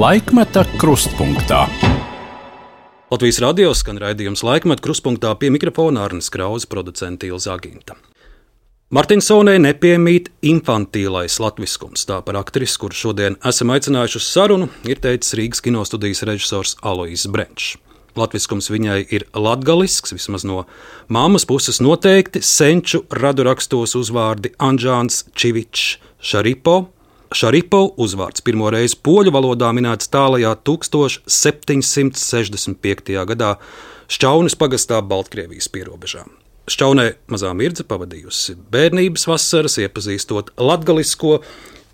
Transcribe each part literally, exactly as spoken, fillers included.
Laikmeta krustpunktā. Latvijas radio skan raidījums Laikmeta krustpunktā, pie mikrofona Arnis Krause, producente Ilze Aginta. Martinsonei nepiemīt infantīlais latviskums. Tā par aktrisi, kuru šodien esam aicinājuši uz sarunu, ir teicis Rīgas kinostudijas režisors Aloizs Brenčs. Latviskums viņai ir latgalisks, vismaz no mammas puses noteikti. Senču radu rakstos uzvārdi Anžāns, Čivičs, Šaripo. Šaripo uzvārds pirmo reizi poļu valodā minēts tālajā tūkstoš septiņsimt sešdesmit piektajā gadā Šķaunes pagastā Baltkrievijas pierobežā. Šķaunē mazā Mirdze pavadījusi bērnības vasaras, iepazīstot latgalisko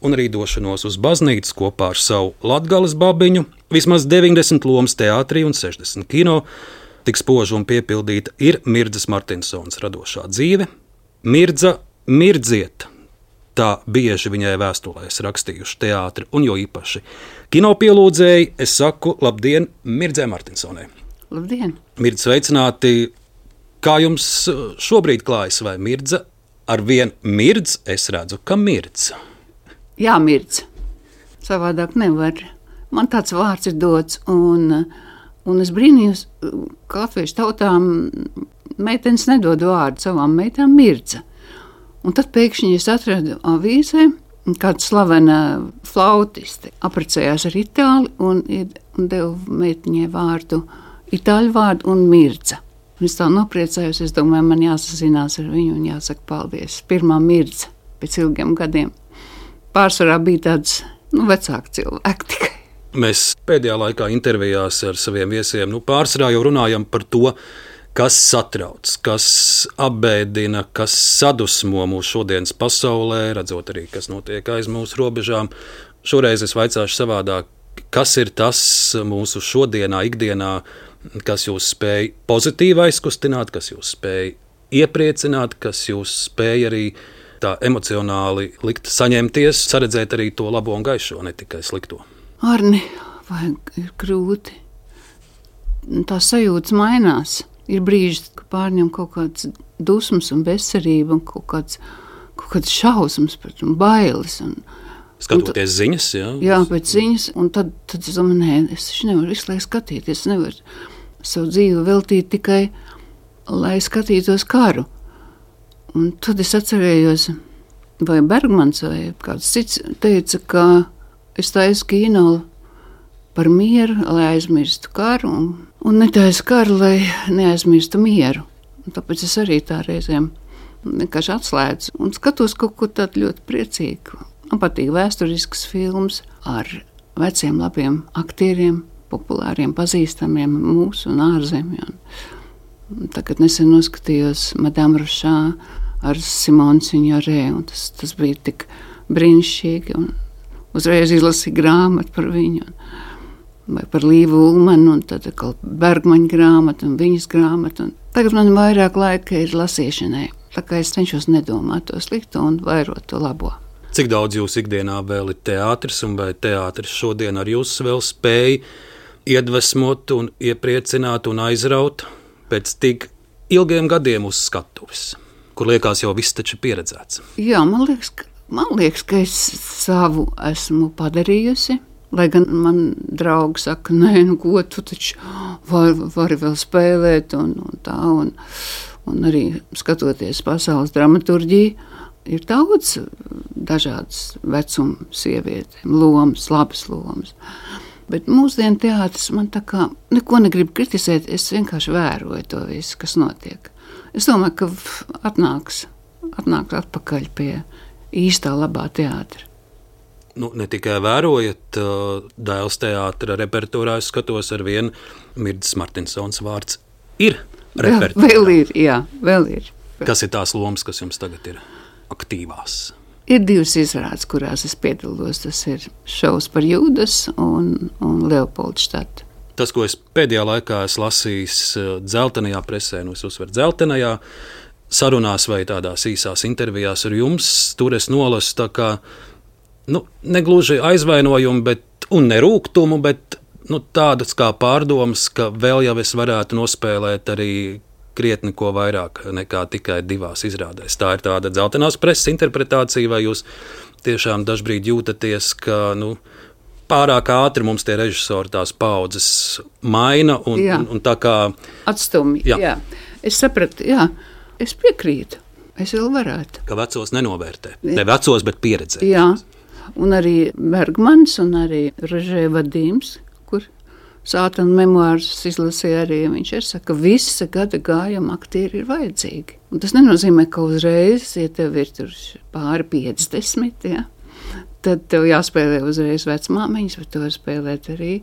un arī došanos uz baznīcu kopā ar savu latgales babiņu. Vismaz deviņdesmit lomas teātrī un sešdesmit kino. Tik spoža un piepildīta ir Mirdzes Martinsonas radošā dzīve. Mirdza mirdziet. Tā bieži viņai vēstulēs rakstījuši teātri un jo īpaši kino pielūdzēji. Es saku labdien Mirdzē Martinsonai. Labdien! Mirdze, sveicināti! Kā jums šobrīd klājas, vai Mirdze ar vien mirdz? Es redzu, ka mirdz. Jā, mirdz. Savādāk nevar. Man tāds vārds ir dots, un, un es brīnījos, ka latviešu tautām meitenes nedod vārdu savām meitām Mirdze. Un tad pēkšņi es atradu avīzē, kāda slavena flautiste apprecējās ar itāli un, un deva meitiņai vārdu, itāļu vārdu un Mirdze. Un es tā nopriecājos, es domāju, man jāsazinās ar viņu un jāsaka paldies. Pirmā Mirdze pēc ilgiem gadiem. Pārsvarā bija tāds, nu, vecāki cilvēki tikai. Mēs pēdējā laikā intervijās ar saviem viesiem, nu, pārsvarā jau runājam par to, kas satrauc, kas apbēdina, kas sadusmo mūsu šodienas pasaulē, redzot arī, kas notiek aiz mūsu robežām. Šoreiz es vaicāšu savādāk, kas ir tas mūsu šodienā, ikdienā, kas jūs spēj pozitīvi aizkustināt, kas jūs spēj iepriecināt, kas jūs spēj arī tā emocionāli likt saņemties, saredzēt arī to labo un gaišo, ne tikai slikto. Arni, vai ir grūti? Tās sajūtas mainās. Ir brīži, ka pārņem kaut kāds dusmas un bezcerība un kaut kāds, kaut kāds šausmas pret un bailes. Un, Skatoties un ziņas, jā? Jā, pēc ziņas, un tad, tad es domāju, nē, es taču nevaru visu laiku skatīties, es nevaru savu dzīvi veltīt tikai, lai skatītos karu. Un tad es atcerējos, vai Bergmans vai kāds cits teica, ka es taisu kino par mieru, lai aizmirstu karu, un, un netaisu karu, lai neaizmirstu mieru. Un tāpēc es arī tā reizēm vienkārši atslēdzu un skatos kaut ko tādu ļoti priecīgu. Man patīk vēsturisks films ar veciem labiem aktieriem, populāriem, pazīstamiem mūsu un ārzemju. Tagad nesen noskatījos Madame Rošā ar Simonu Signorē, un tas, tas bija tik brīnišķīgi, un uzreiz izlasīju grāmatu par viņu, vai par Līvu Ulmanu, un tad atkal Bergmaņa grāmatu un viņas grāmatu. Un tagad man vairāk laika ir lasīšanai, tā kā es cenšos nedomāt to slikto un vairot to labo. Cik daudz jūs ikdienā vēl ir teātris, un vai teātris šodien ar jūs vēl spēj iedvesmot un iepriecināt un aizraut pēc tik ilgiem gadiem uz skatuves, kur liekas jau viss taču pieredzēts? Jā, man liekas, ka, man liekas, ka es savu esmu padarījusi, lai gan man draugi saka, nē, nu ko tu taču vari, vari vēl spēlēt un, un tā, un, un arī skatoties pasaules dramaturģiju, ir daudz dažādas vecuma sievietēm, lomas, labas lomas. Bet mūsdienu teātris man tā kā neko negrib kritizēt, es vienkārši vēroju to visu, kas notiek. Es domāju, ka atnāks, atnāks atpakaļ pie īstā labā teātra. Nu, ne tikai vērojat, Dēls teātra repertuārā, es skatos ar vienu Mirdzes Martinsonas vārds ir repertuārā. Vēl, vēl ir, jā, vēl ir. Kas ir tās lomas, kas jums tagad ir aktīvās? Ir divas izrādes, kurās es piedalos. Tas ir šovs par Jūdas un, un Leopoldštatu. Tas, ko es pēdējā laikā esmu lasījis dzeltenajā presē, nu es uzsveru dzeltenajā, sarunās vai tādās īsās intervijās ar jums, tur es nolasu tā kā, nu, negluži aizvainojumu, bet, un nerūgtumu, bet nu, tādas kā pārdomas, ka vēl jau es varētu nospēlēt arī krietni ko vairāk nekā tikai divās izrādēs. Tā ir tāda dzeltenās preses interpretācija, vai jūs tiešām dažbrīd jūtaties, ka nu, pārāk ātri mums tie režisori tās paudzes maina un, un, un tā kā atstumi. Jā. Jā. Es sapratu, jā, es piekrītu. Es vēl varētu. Ka vecos nenovērtē. Ne vecos, bet pieredzē. Jā, un arī Bergmans un arī Rožē Vadīms, kur Sātana memoārus izlasīja arī, viņš ir saka, ka visa gada gājuma aktieri ir vajadzīgi. Un tas nenozīmē, ka uzreiz, ja tev ir tur pāri piecdesmit, ja, tad tev jāspēlē uzreiz vecmāmiņas, bet tu var spēlēt arī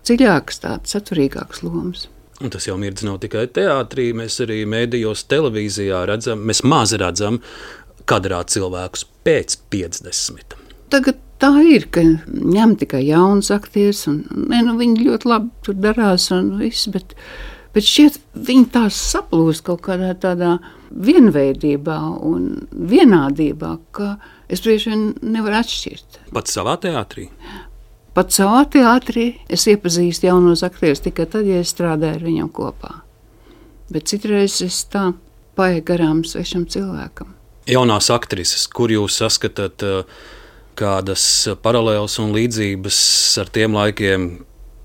dziļākas tādas, saturīgākas lomas. Un tas jau mirdz nav tikai teātrī, mēs arī mēdījos, televīzijā redzam, mēs maz redzam kadrā cilvēkus pēc piecdesmit. Tagad tā ir, ka ņem tikai jauns aktieris, un ne, nu, viņi ļoti labi tur darās un viss, bet, bet šķiet, viņi tās saplūst kaut kādā tādā vienveidībā un vienādībā, ka es bieži vien nevaru atšķirt. Pat savā teātrī? Pat savā teātrī es iepazīstu jaunos aktierus tikai tad, ja es strādāju ar viņam kopā. Bet citreiz es tā paeju garām svešam cilvēkam. Jaunās aktrises, kur jūs saskatāt kādas paralēlas un līdzības ar tiem laikiem,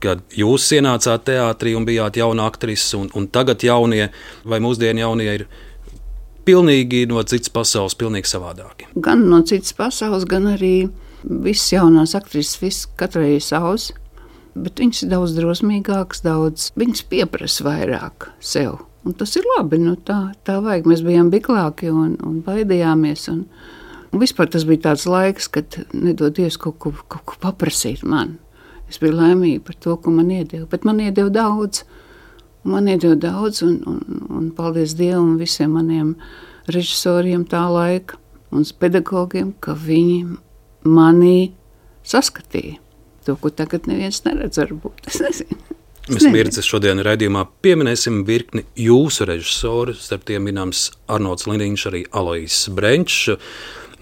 kad jūs ienācāt teātrī un bijāt jauna aktrise, un, un tagad jaunie vai mūsdienu jaunie ir pilnīgi no citas pasaules, pilnīgi savādāki? Gan no citas pasaules, gan arī viss jaunās aktrises, viss katrai ir savs, bet viņas ir daudz drosmīgākas, daudz, viņas pieprasa vairāk sev. Un tas ir labi, nu tā, tā vajag. Mēs bijām biklāki un, un baidījāmies. Un, un vispār tas bija tāds laiks, kad nedodies kaut ko, kaut ko paprasīt man. Es biju laimīga par to, ko man iedeva, bet man iedeva daudz. Un man iedeva daudz un, un, un paldies Dievam visiem maniem režisoriem tā laika un pedagogiem, ka viņi manī saskatīja to, ko tagad neviens neredz varbūt. Es nezinu. Mēs Mirdzes šodien raidījumā pieminēsim virkni jūsu režisoru, starp tiem minams Arnolds Liniņš, arī Alois Brenčs.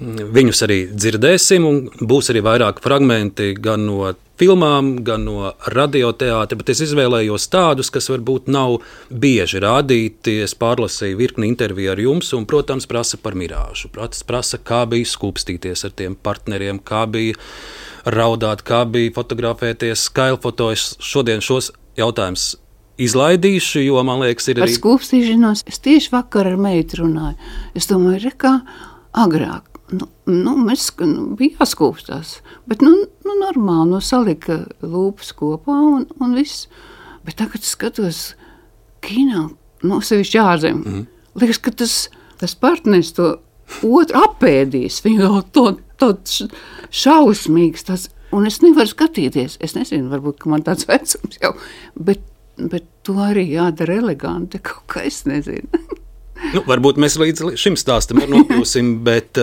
Viņus arī dzirdēsim un būs arī vairāk fragmenti gan no filmām, gan no radioteātra, bet es izvēlējos tādus, kas varbūt nav bieži rādīti. Es pārlasīju virkni interviju ar jums un, protams, prasa par Mirāžu. Prasa, kā bija skūpstīties ar tiem partneriem, kā bija raudāt, kā bija fotografēties, skailfotojas. Šodien šos jautājumus izlaidīšu, jo, man liekas, ir arī... Par skūpstīšanos es tieši vakar ar meitu runāju. Es domāju, re, kā agrāk. Nu, nu, mēs nu, bija jāskūpstās, bet nu, nu, normāli, nu, salika lūpas kopā un, un viss. Bet tagad skatos kinā, nu, sevišķi ārzem. Mm. Liekas, ka tas, tas partners to otru apēdīs. Viņu jau to, to šausmīgs, tas, un es nevaru skatīties. Es nezinu, varbūt, ka man tāds vecums jau, bet, bet to arī jādara eleganti, kaut kā es nezinu. Nu, varbūt mēs līdz šim stāstam nokļūsim, bet,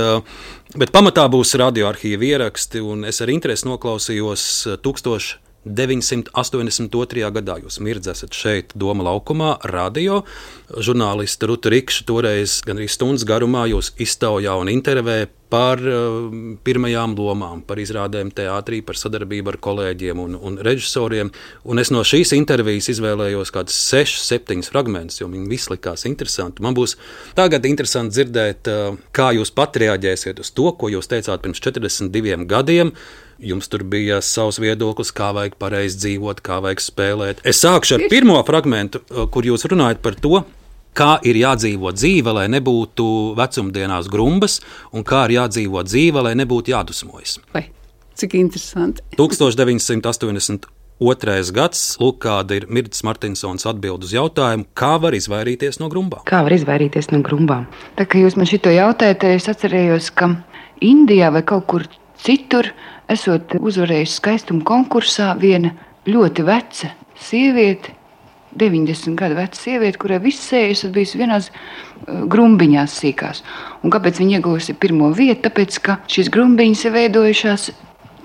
bet pamatā būs radioarhīva ieraksti, un es ar interesi noklausījos tūkstoš deviņsimt astoņdesmit otrajā gadā. Jūs Mirdz esat šeit Doma laukumā, radio. Žurnālista Ruta Rikša toreiz gan arī stundas garumā jūs iztaujā un intervē par uh, pirmajām lomām, par izrādēm teātrī, par sadarbību ar kolēģiem un, un režisoriem. Un es no šīs intervijas izvēlējos kādus sešus, septiņus fragmentus, jo viņi visi likās interesanti. Man būs tagad interesanti dzirdēt, uh, kā jūs pat reaģēsiet uz to, ko jūs teicāt pirms četrdesmit diviem gadiem. Jums tur bija savs viedoklis, kā vajag pareizi dzīvot, kā vajag spēlēt. Es sākšu ar pirmo fragmentu, kur jūs runājat par to, kā ir jādzīvo dzīve, lai nebūtu vecumdienās grumbas, un kā ir jādzīvo dzīve, lai nebūtu jādusmojas. Vai, cik interesanti. tūkstoš deviņsimt astoņdesmit otrais gads, lūk, kāda ir Mirdzes Martinsons atbild uz jautājumu, kā var izvairīties no grumbām. Kā var izvairīties no grumbām? Tā kā jūs man šito jautājat, es atcerējos, ka Indijā vai kaut kur citur, esot uzvarējusi skaistuma konkursā, viena ļoti veca sieviete, deviņdesmit gadu veca sieviete, kurai viss sējas bijusi vienās uh, grumbiņās sīkās. Un kāpēc viņa iegūsi pirmo vietu? Tāpēc, ka šīs grumbiņas ir veidojušās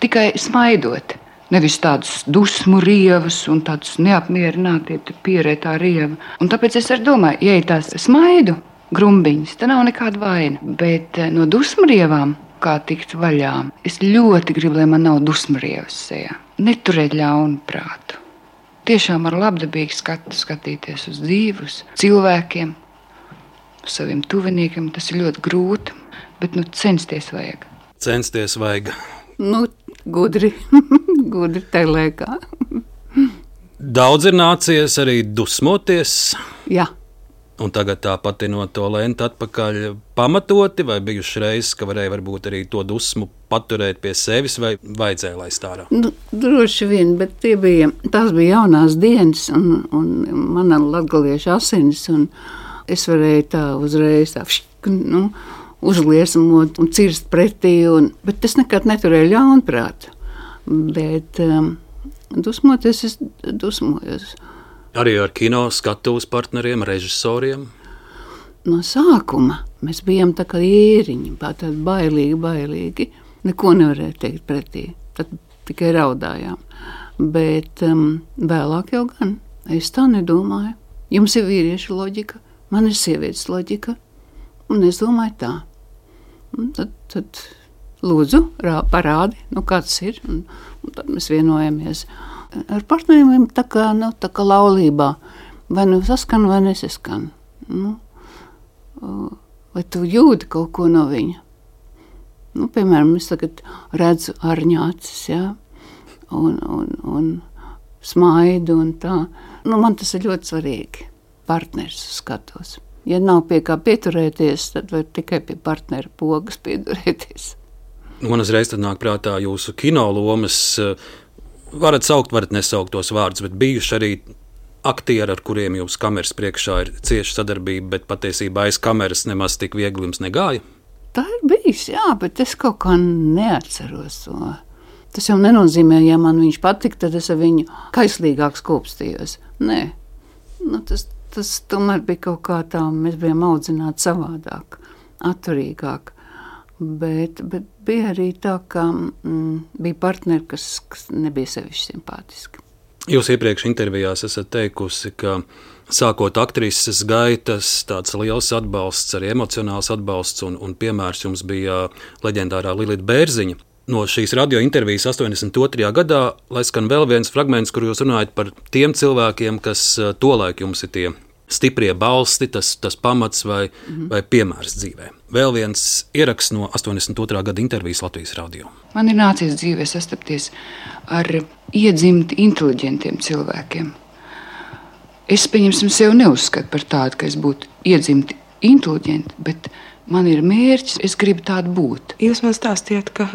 tikai smaidot. Nevis tādas dusmu rievas un tādas neapmierinātie pierētā rieva. Un tāpēc es arī domāju, ja ir tās smaidu grumbiņas, tad nav nekāda vaina. Bet uh, no dusmu rievām kā tikt vaļā. Es ļoti gribu, lai man nav dusmrievas sejā. Neturēt ļaunu prātu. Tiešām ar labdabīgu skatu skatīties uz dzīvi, uz cilvēkiem, uz saviem tuviniekiem. Tas ir ļoti grūti, bet nu censties vajag. Censties vajag. Nu, gudri, gudri tajā laikā. Daudz ir nācies arī dusmoties. Jā. Un tagad tā pati no to lenta atpakaļ pamatoti, vai bijuši reizes, ka varēja varbūt arī to dusmu paturēt pie sevis, vai vajadzēja laist ārā? Nu, droši vien, bet tie bija, tās bija jaunās dienas, un, un mana latgaliešu asinis, un es varēju tā uzreiz tā, nu, uzliesmot un cirst pretī, un, bet es nekad neturēju ļaunprātu. Bet um, dusmoties, es dusmojos. Arī ar kino skatuves partneriem, režisoriem? No sākuma mēs bijām tā kā ēriņi, tādi bailīgi, bailīgi. Neko nevarēja teikt pretī, tad tikai raudājām. Bet um, vēlāk jau gan, es tā nedomāju. Jums ir vīrieša loģika, man ir sievietes loģika, un es domāju tā. Un tad, tad lūdzu, rā, parādi, nu kāds ir, un, un tad mēs vienojamies. Ar partneriem tā kā, nu, tā kā laulībā. Vai nu saskan, vai nesaskan. Nu, vai tu jūti kaut ko no viņa? Nu, piemēram, es tagad redzu Arņa acis, jā, un, un, un smaidu un tā. Nu, man tas ir ļoti svarīgi. Partners skatos. Ja nav pie kā pieturēties, tad var tikai pie partnera pogas pieturēties. Man uzreiz tad nāk prātā jūsu kino lomas. Varat saukt, varat nesaukt tos vārdus, bet bijuši arī aktieri, ar kuriem jums kameras priekšā ir cieša sadarbība, bet patiesībā aiz kameras nemaz tik viegli jums negāja? Tā ir bijis, jā, bet es kaut kā neatceros to. Tas jau nenozīmē, ja man viņš patika, tad es ar viņu kaislīgāk skūpstījos. Nē, nu, tas, tas tomēr bija kaut kā tā, mēs bijām audzināti savādāk, atturīgāk. Bet, bet bija arī tā, ka mm, bija partneri, kas, kas nebija sevišķi simpātiski. Jūs iepriekš intervijās esat teikusi, ka sākot aktrises gaitas, tāds liels atbalsts, arī emocionāls atbalsts, un, un piemērs jums bija leģendārā Lilita Bērziņa. No šīs radio intervijas astoņdesmit otrajā gadā, lai skan vēl viens fragments, kur jūs runājat par tiem cilvēkiem, kas tolaik jums ir tie stiprie balsti, tas, tas pamats vai, mm-hmm. vai piemērs dzīvē. Vēl viens ieraksts no astoņdesmit otrā gada intervijas Latvijas radio. Man ir nācies dzīvē sastapties ar iedzimti inteliģentiem cilvēkiem. Es, pieņemsim, sev neuzskatu par tādu, ka es būtu iedzimti inteliģenti, bet man ir mērķis, es gribu tādu būt. Jūs man stāstījāt, ka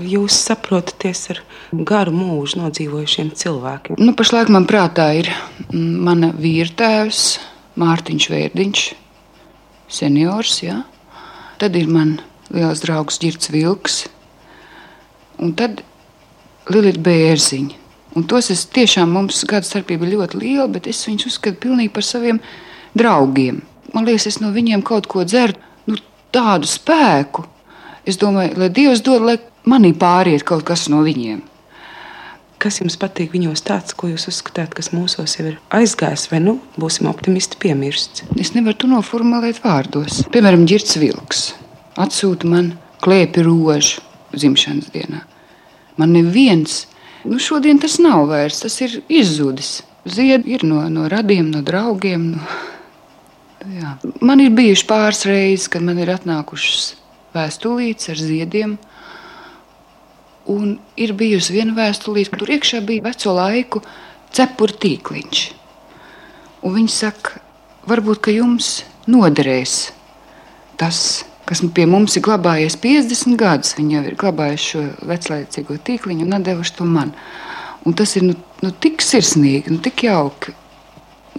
jūs saprotaties ar garu mūžu nodzīvojušiem cilvēkiem. Nu, pašlaik man prātā ir mana vīrtēvs, Mārtiņš Vērdiņš, seniors, jā. Tad ir man liels draugs Ģirds Vilks, un tad Lilita Bērziņa. Un tos es tiešām, mums gada starpība ļoti liela, bet es viņus uzskatu pilnīgi par saviem draugiem. Man liekas, es no viņiem kaut ko dzeru, nu, tādu spēku. Es domāju, lai Dievs dod, lai manī pāriet kaut kas no viņiem. Kas jums patīk viņos tāds, ko jūs uzskatāt, kas mūsos jau ir aizgājis, vai nu būsim optimisti piemirsts? Es nevaru to noformulēt vārdos. Piemēram, Ģirds Vilks atsūta man klēpi rožu dzimšanas dienā. Man neviens, nu šodien tas nav vairs, tas ir izzudis. Ziedi ir no, no radiem, no draugiem. No... Jā. Man ir bijuši pāris reizes, kad man ir atnākušas vēstulītes ar ziediem. Un ir bijusi viena vēstulīte, tur iekšā bija veco laiku cepuru tīkliņš. Un viņi saka, varbūt, ka jums noderēs tas, kas pie mums ir glabājies piecdesmit gadus. Viņi jau ir glabājuši šo veclaicīgo tīkliņu un atdevuši to man. Un tas ir nu, nu, tik sirsnīgi, nu, tik jauki,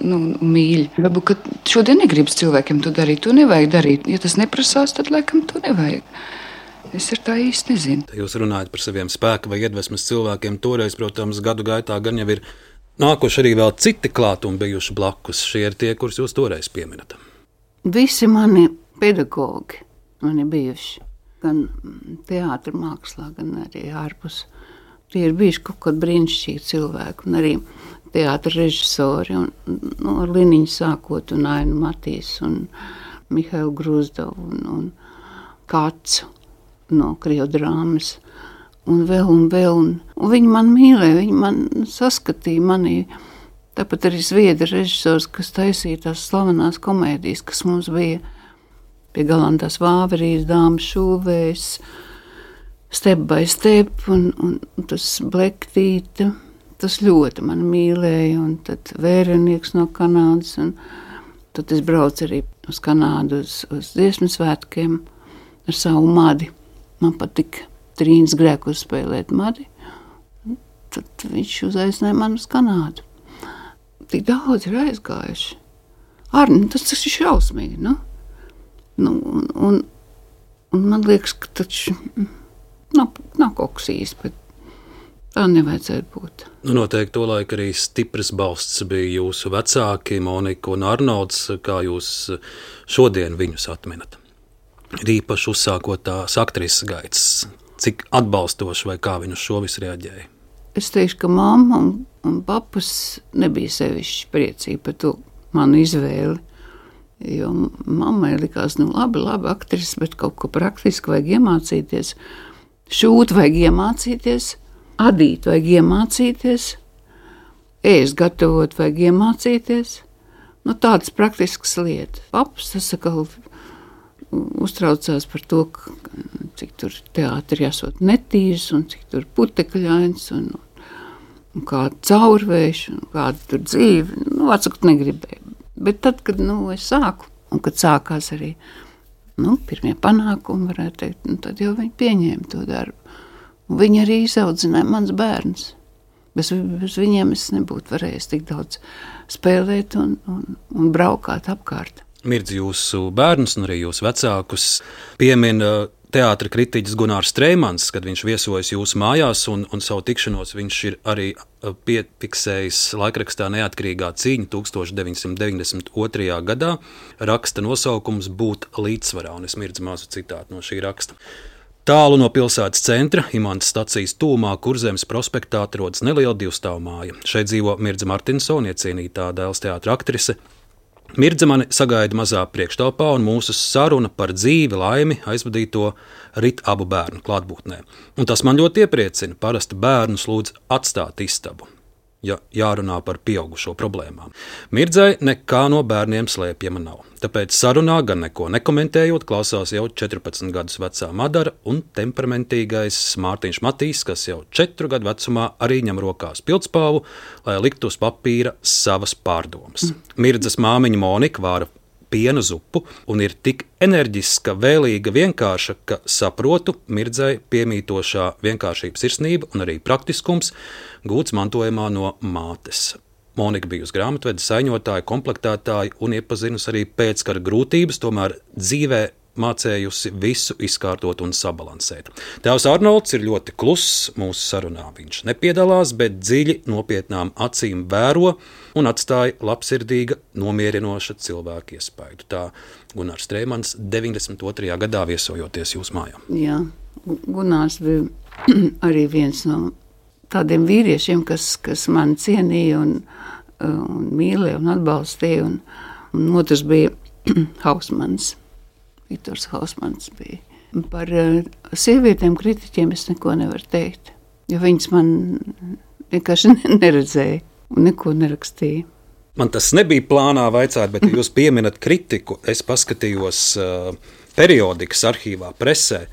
nu, mīļi. Varbūt, ka šodien negribas cilvēkiem to darīt, to nevajag darīt. Ja tas neprasās, tad laikam to nevajag. Es ar tā īsti nezinu. Jūs runājat par saviem spēka vai iedvesmas cilvēkiem. Toreiz, protams, gadu gaitā gan jau ir nākuši arī vēl citi klāt un bijuši blakus. Šie ir tie, kurus jūs toreiz pieminat. Visi mani pedagogi mani bijuši. Gan teātra mākslā, gan arī ārpus. Tie ir bijuši kaut kādi brīnišķīgi cilvēki. Un arī teātra režisori. Un, nu, ar Liniņu sākot un Ainu Matīs un Mihailu Gruzdovu un, un Kācu no Krievu drāmas, un vēl un vēl. Un, un viņi man mīlēja, viņi man saskatīja manī. Tāpat arī zviedru režisors, kas taisīja tās slavenās komēdijas, kas mums bija pie Galantās Vāverijas, Dāmas šūvējas, Step by step, un, un tas Blektīte, tas ļoti mani mīlēja, un tad Vērenieks no Kanādas, un tad es braucu arī uz Kanādu uz, uz dziesmu svētkiem ar savu madi. Man patika Trīnas Grēkos spēlēt madi, un tad viņš uzaicināja mani uz Kanādu. Tik daudz ir aizgājuši. Arni, tas tas ir šausmīgi, nu? Nu, un, un, un man liekas, ka taču nav, nav kaut kas īsti, bet tā nevajadzētu būt. Nu, noteikti to laiku arī stipras balsts bija jūsu vecāki, Monika un Arnolds, kā jūs šodien viņus atminat. Ir īpaši uzsākot tās aktrises gaitas, cik atbalstoši vai kā viņi uz šo visu reaģēja? Es teikšu, ka mamma un, un papas nebija sevišķi priecīgi par to manu izvēli, jo mammai likās, nu labi, labi aktrises, bet kaut ko praktiski vajag iemācīties, šūt vajag iemācīties, adīt vajag iemācīties, ēst gatavot vajag iemācīties, nu tādas praktiskas lietas. Papas tas atkal uztraucās par to, ka, cik tur teātri jāsot netīrs un cik tur putekļains un, un kāda caurvējš un kāda tur dzīve. Nu, atsakot negribēju. Bet tad, kad nu, es sāku un kad sākās arī nu, pirmie panākumi, varētu teikt, nu, tad jau viņi pieņēma to darbu. Un viņi arī izaudzināja mans bērns. Bez, bez viņiem es nebūtu varējis tik daudz spēlēt un, un, un braukāt apkārt. Mirdz jūsu bērnus un arī jūsu vecākus piemin teātra kritiķis Gunārs Streimans, kad viņš viesojas jūsu mājās un, un savu tikšanos viņš ir arī piefiksējis laikrakstā Neatkarīgā cīņa tūkstoš deviņsimt deviņdesmit otrajā gadā. Raksta nosaukums Būt līdzsvarā, un es mirdz mazu citātu no šī raksta. Tālu no pilsētas centra, Imantas stacijas tūmā, Kurzemes prospektā atrodas neliela divstāvu māja. Šeit dzīvo Mirdza Martinsone, iecienītā Dēls teātra aktrise. Mirdza mani sagaida mazā priekštelpā, un mūsu saruna par dzīvi, laimi aizvadīto rit abu bērnu klātbūtnē. Un tas man ļoti iepriecina. Parasti bērnus lūdz atstāt istabu, ja jārunā par pieaugušo problēmām. Mirdzai nekā no bērniem slēpjama nav. Tāpēc sarunā, gan neko nekomentējot, klausās jau četrpadsmit gadus vecā Madara un temperamentīgais Mārtiņš Matīs, kas jau četru gadu vecumā arī ņem rokās pildspalvu, lai liktu uz papīra savas pārdomas. Mirdzas māmiņa Monika vāra piena zupu un ir tik enerģiska, vēlīga, vienkārša, ka saprotu Mirdzai piemītošā vienkāršības sirsnība un arī praktiskums gūts mantojumā no mātes. Monika bija uz grāmatvedes, saiņotāja, komplektētāja un iepazinusi arī pēckara grūtības, tomēr dzīvē mācējusi visu izkārtot un sabalansēt. Tēvs Arnolds ir ļoti kluss mūsu sarunā. Viņš nepiedalās, bet dziļi nopietnām acīm vēro un atstāja labsirdīga, nomierinoša cilvēka iespaidu. Tā Gunārs Streimans deviņdesmit otrajā gadā viesojoties jūsu mājā. Jā, Gunārs bija arī viens no tādiem vīriešiem, kas, kas mani cienīja un, un mīlēja un atbalstīja. Un, un otrs bija Hausmans. Viktors Hausmans bija. Par sievietēm kritiķiem es neko nevaru teikt, jo viņas man vienkārši neredzēja un neko nerakstīja. Man tas nebija plānā vaicāt, bet jūs pieminat kritiku. Es paskatījos uh, periodikas arhīvā presē.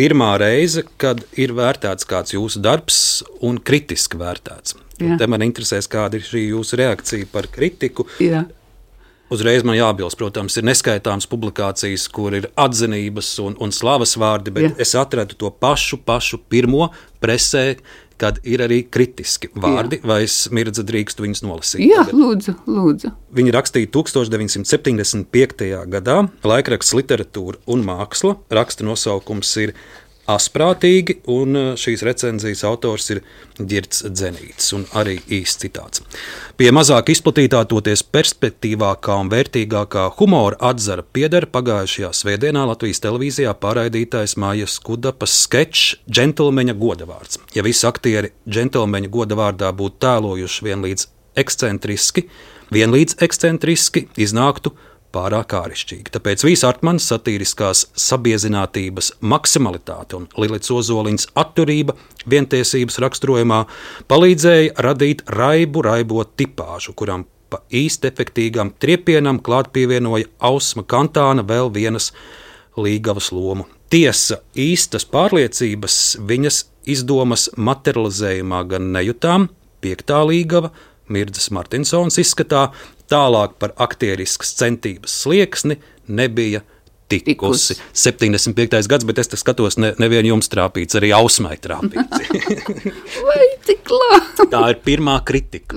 Pirmā reize, kad ir vērtēts kāds jūsu darbs un kritiski vērtēts. Te man interesēs, kāda ir šī jūsu reakcija par kritiku. Jā. Uzreiz man jābilst, protams, ir neskaitāmas publikācijas, kur ir atzinības un, un slavas vārdi, bet Jā. Es atradu to pašu, pašu pirmo presē, kad ir arī kritiski vārdi, Jā. Vai es Mirdza drīkstu viņus nolasīt? Jā, lūdzu, lūdzu. Viņi rakstīja tūkstoš deviņsimt septiņdesmit piektajā gadā, laikraksts Literatūra un māksla, raksta nosaukums ir Asprātīgi, un šīs recenzijas autors ir Girts Dzenītis, un arī īsts citāts. Pie mazāk izplatītā, toties perspektīvākā un vērtīgākā humora atzara pieder pagājušajā svētdienā Latvijas televīzijā pārraidītais Mājas Kudapas skečs Džentelmeņa godavārds. Ja visi aktieri Džentelmeņa godavārdā būtu tēlojuši vienlīdz ekscentriski, vienlīdz ekscentriski iznāktu pārāk ārišķīgi. Tāpēc Vīs Artmanis satīriskās sabiezinātības maksimalitāte un Lilits Ozoliņas atturība vientiesības raksturojumā palīdzēja radīt raibu raibo tipāžu, kuram pa īsti efektīgam triepienam klāt pievienoja Ausma Kantāna vēl vienas Līgavas lomu Tiesa, īstas pārliecības viņas izdomas materializējumā gan nejutām, piektā līgava, Mirdzas Martinsons izskatā, tālāk par aktieriskas centības slieksni nebija tikusi. septiņdesmit piektais gads, bet es te skatos, ne, nevien jums trāpīts, arī Ausmai trāpīts. Vai tik labi? Tā ir pirmā kritika.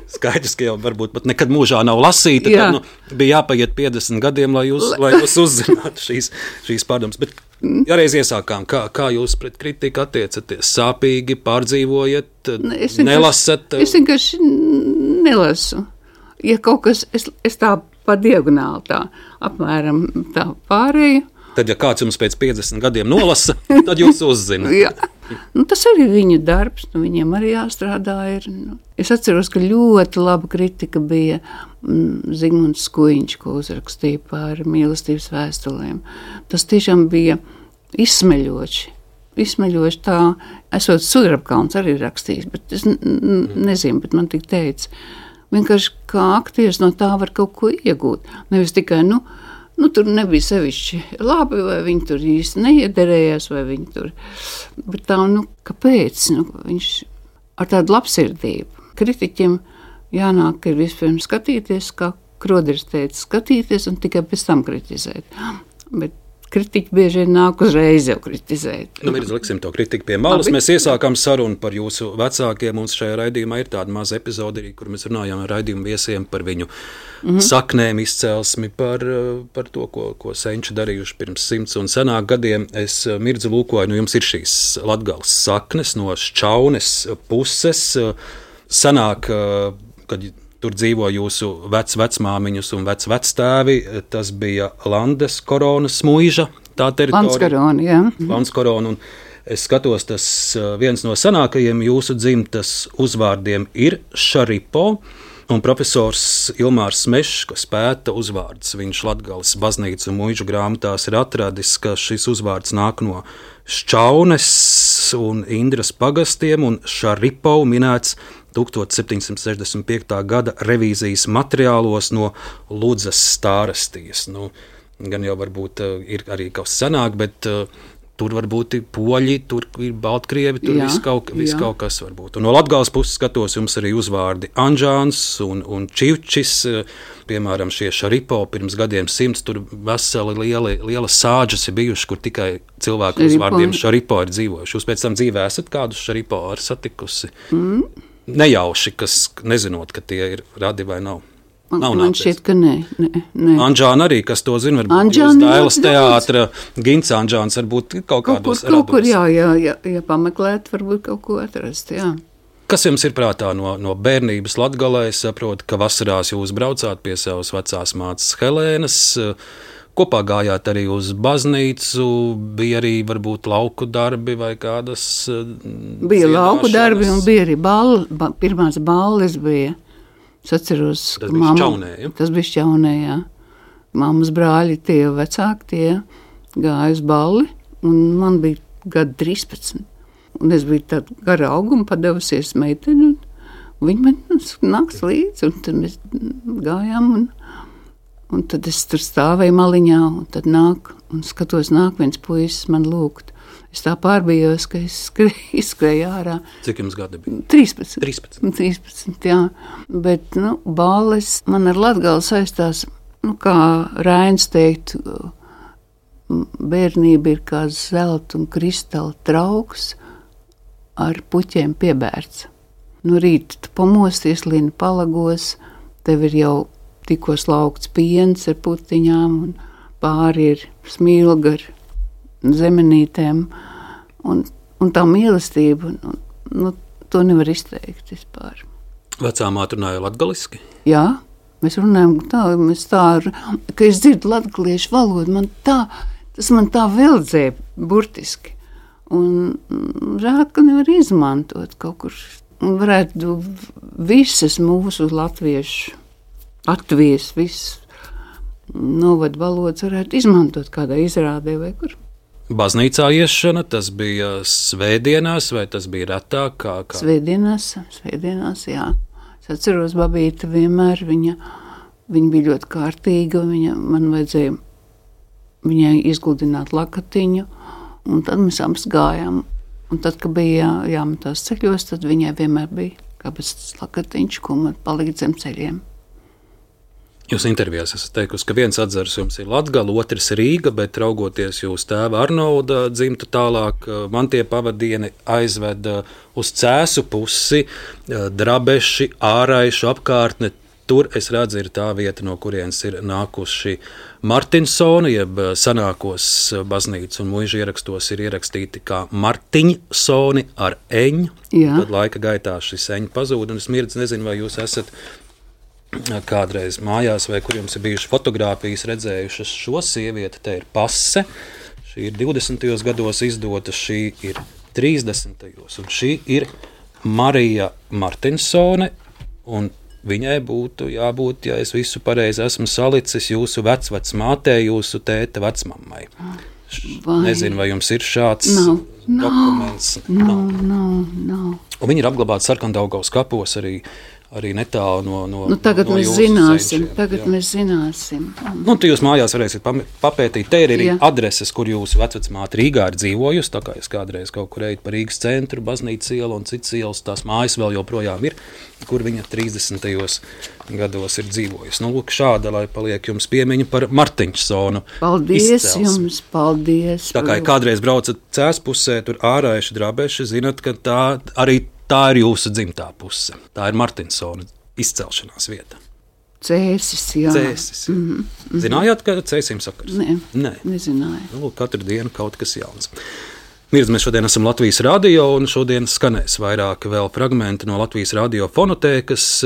Skaidrs, ka jau varbūt pat nekad mūžā nav lasīta, Jā. tad nu, bija jāpaiet piecdesmit gadiem, lai jūs, lai jūs uzzinātu šīs, šīs pārdomas. Bet ja reiz iesākām, kā, kā jūs pret kritiku attiecaties? Sāpīgi, pārdzīvojat, Ne, es nelasat? Es vienkārši nelasu. Ja kaut kas, es, es tā pa diagonāli tā, apmēram tā pārēju. Tad, ja kāds jums pēc piecdesmit gadiem nolasa, tad jūs uzzināt. Jā. Nu, tas arī ir viņu darbs, nu, viņiem arī jāstrādā. Ir, nu. Es atceros, ka ļoti laba kritika bija mm, Zigmunds Skuiņš, ko uzrakstīja par mīlestības vēstulēm. Tas tiešām bija izsmeļoši. Izsmeļoši tā, esot Sudrabkalns arī rakstījis, bet es n- n- nezinu, bet man tik teica, vienkārši kā aktieris no tā var kaut ko iegūt. Nevis tikai, nu, nu tur nebija sevišķi labi, vai viņi tur īsti neiederējās, vai viņi tur, bet tā, nu, kāpēc? Nu, viņš ar tādu labsirdību. Kritiķiem jānāk ir vispirms skatīties, kā Kroderis teica, skatīties un tikai pēc tam kritizēt. Bet kritiķi bieži vien nāk uzreiz jau kritizēt. Nu, Mirza, liksim to kritiku pie malas. Labi. Mēs iesākām sarunu par jūsu vecākiem. Mums šajā raidījumā ir tāda maza epizode, kur mēs runājām ar raidījumu viesiem par viņu mm-hmm. saknēm, izcelsmi, par, par to, ko, ko senči darījuši pirms simts un senāk gadiem. Es, Mirza, lūkoju, nu jums ir šīs Latgales saknes no Šķaunes puses. Sanāk, kad tur dzīvo jūsu vec-vecmāmiņus un vec-vectēvi. Tas bija Landes koronas muiža, tā teritorija. Landskorona, jā. Landskorona, un es skatos, tas viens no senākajiem jūsu dzimtas uzvārdiem ir Šaripo, un profesors Ilmārs Mešs, kas pēta uzvārdus, viņš Latgales baznīcu un muižu grāmatās ir atradis, ka šis uzvārds nāk no Šķaunes un Indras pagastiem, un Šaripo minēts septiņdesmit sešdesmit piektā gada revīzijas materiālos no Ludzas stārastijas. Nu, gan jau varbūt uh, ir arī kaut kas senāk, bet uh, tur varbūt ir poļi, tur ir baltkrievi, tur Jā, viss kaut, vis jā. kaut kas varbūt. Un no Latgales puses skatos, jums arī uzvārdi Anžāns un, un Čivčis, uh, piemēram, šie Šaripo pirms gadiem simts, tur veseli lieli, liela sāģas ir bijuši, kur tikai cilvēku Šaripo. uzvārdiem Šaripo ir dzīvojuši. Jūs pēc tam dzīvē esat kādus Šaripo ar satikusi? Mm. Nejauši, kas nezinot, ka tie ir radi vai nav. Man, nav man nācies. šķiet, ka nē. nē, nē. Anžāna arī, kas to zina, varbūt Anžāna jūs ļoti Dailas daudz. teātra, Gints Anžāns varbūt kaut Kaut kur, kādos kaut kur rados. jā, jā, jā, jā, pameklēt, varbūt kaut ko atrast, jā. Kas jums ir prātā no, no bērnības Latgalē? Es saprotu, ka vasarās jūs braucāt pie savas vecās mātes Helēnas, kopā gājāt arī uz baznīcu, bija arī varbūt lauku darbi vai kādas Bija lauku darbi un bija arī balli, ba, pirmās balles bija. Es atceros, Tas ka bija mamma- Šķaunē, ja? Tas bija Šķaunē, jā. Mammas brāļi, tie vecāki, tie gāja uz balli, un man bija gadi trīspadsmit. Un es biju tāda gara auguma, padevusies meiteni, un viņi man nāks līdzi, un tad mēs gājām, un, un tad es tur stāvēju maliņā, un tad nāk, un skatos, nāk viens puisis man lūgt. Es tā pārbījos, ka es skrēju, izskrēju ārā. Cik jums gadi bija? trīspadsmit. trīspadsmit. trīspadsmit, jā. Bet, nu, balles man ar Latgali saistās, nu, kā Rainis teikt, bērnība ir kā zelta un kristāla trauks ar puķiem piebērts. No rīta tu pamosties, lina palagos, tev ir jau tikko slaukts piens ar putiņām, un pāri ir smilga ar zemenītēm, un, un tā mīlestība, un, nu, to nevar izteikt vispār. Vecā māte runāja latgaliski? Jā, mēs runājam tā, mēs tā, ka es dzirdu latgaliešu valodu, man tā, tas man tā veldzēja burtiski. Un žēl, ka nevar izmantot kaut kur. Un varētu visas mūsu latviešu, Latvijas, visas novadu valodas varētu izmantot kādā izrādē vai kur. Baznīcā iešana, tas bija svētdienās vai tas bija retāk? Kā, kā? Svētdienās, svētdienās, jā. Es atceros, babīte vienmēr, viņa, viņa bija ļoti kārtīga, viņa man vajadzēja viņai izgludināt lakatiņu, un tad mēs abas gājām. Un tad, kad bija jā, jāmetās ceļos, tad viņai vienmēr bija kāpēc lakatiņš, ko man palīdz zem ceļiem. Jūs intervijās esat teikusi, ka viens atzars jums ir Latgala, otrs Rīga, bet raugoties jūs tēva Arnolda dzimtu tālāk, man tie pavadieni aizveda uz Cēsu pusi, Drabeši, Āraišu apkārtne. Tur, es redzu, ir tā vieta, no kurienes ir nākuši Martinsoni, jeb senākos baznīcas un muižu ierakstos ir ierakstīti kā Martiņsoni ar eņu. Jā. Tad laika gaitā šis eņu pazūd, un es mirdz nezinu, vai jūs esat kādreiz mājās, vai kur jums ir bijušas fotogrāfijas redzējušas šo sievieti. Te ir pase, šī ir divdesmitajos gados izdota, šī ir trīsdesmitajos, un šī ir Marija Martinsone, un viņai būtu jābūt, ja es visu pareizi esmu salicis, jūsu vecvecmātei, jūsu tēta vecmammai. Vai? Nezinu, vai jums ir šāds nav, dokuments. Nav, nav, nav. Un viņi ir apglabāti Sarkandaugavas kapos arī, arī netālu no, no, nu, tagad no mēs jūsu zināsim, senčiem. tagad Jā. mēs zināsim. Nu, tu jūs mājās varēsiet papētīt. Te ir arī Jā. adreses, kur jūsu vecvecmāte Rīgā ir dzīvojusi. Tā kā es kādreiz kaut kur eju pa Rīgas centru, Baznīcas ielu un citas ielas, tās mājas vēl joprojām ir, kur viņa trīsdesmitajos gados ir dzīvojusi. Nu, lūk, šāda, lai paliek jums piemiņa par Martiņsonu. Paldies izcelsmi. jums, paldies. Tā kā ja kādreiz braucat Cēs pusē, tur Āraiši, Drabeši, zinat, ka tā arī tā ir jūsu dzimtā puse. Tā ir Martinsona izcelšanās vieta. Cēsis, jā. Cēsis. Mm -hmm. Zinājāt, ka Cēsim sakars? Nē, Nē. nezināju. Nu, katru dienu kaut kas jauns. Mirdz, mēs šodien esam Latvijas radio, un šodien skanēs vairāk vēl fragmenti no Latvijas radio fonotēkas.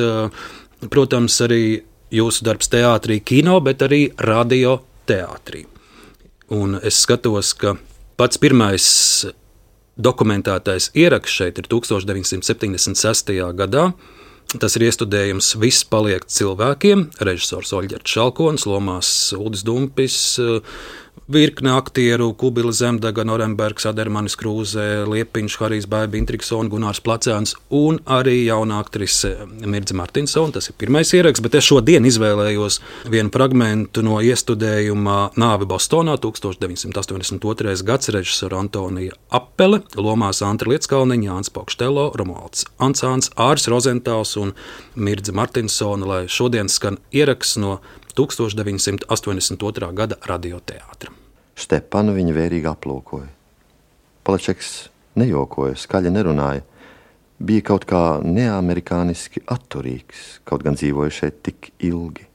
Protams, arī jūsu darbs teātrī, kino, bet arī radio teātrī. Un es skatos, ka pats pirmais dokumentētais ieraksts šeit ir tukstovš deviņsimt septiņdesmit sestajā gadā. Tas ir iestudējums Viss paliek cilvēkiem, režisors Oļģerts Šalkonis, lomās Uldis Dumpis, virkne aktieru, Kubila Zemdega, Norenbergs, Adermanis Krūze, Liepiņš, Harijs Baiba, Intriksona, Gunārs Placēns un arī jauna aktrise Mirdze Martinsone. Tas ir pirmais ieraksts, bet es šodien izvēlējos vienu fragmentu no iestudējuma Nāve Bostonā, tukstovš deviņsimt astoņdesmit otrais gads, režisora Antonija Apele, lomās Antra Lietskalniņa, Jānis Paukštelo, Romualds Ansāns, Āris Rozentāls un Mirdze Martinsone, lai šodien skan ieraksts no tukstovš deviņsimt astoņdesmit otrā gada radioteātra. Stepanu viņa vērīgi aplūkoja. Palačeks nejokoja, skaļi nerunāja. Bija kaut kā neamerikāniski atturīgs, kaut gan dzīvoja šeit tik ilgi.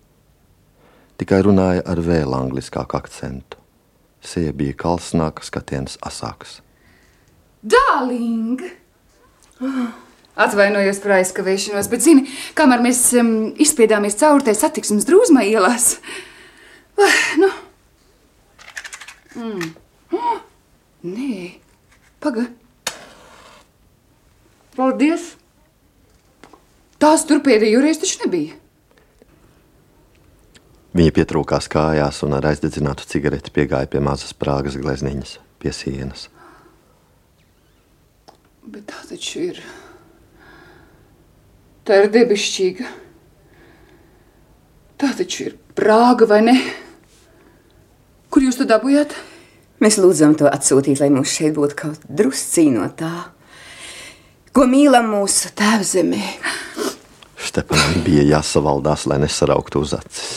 Tikai runāja ar vēl angliskāku akcentu. Seja bija kalsnāka, skatiens asāks. Darling! Atvainojos par aizkavēšanos, bet zini, kamēr mēs um, izspiedāmies cauri tai satiksmes drūzmai ielās. Uh, nu. Mm. Oh, nē, paga. Paldies. Tās tur pēdējo reizi taču nebija. Viņa pietrūkās kājās un ar aizdedzinātu cigareti piegāja pie mazas prāgas glezniņas, pie sienas. Bet tā taču ir... Tā ir debišķīga. Tā taču ir Prāga, vai ne? Kur jūs to dabujāt? Mēs lūdzam to atsūtīt, lai mums šeit būtu kaut druscī no tā, ko mīlam mūsu tēvzemē. Stepanam bija jāsavaldās, lai nesarauktu uz acis.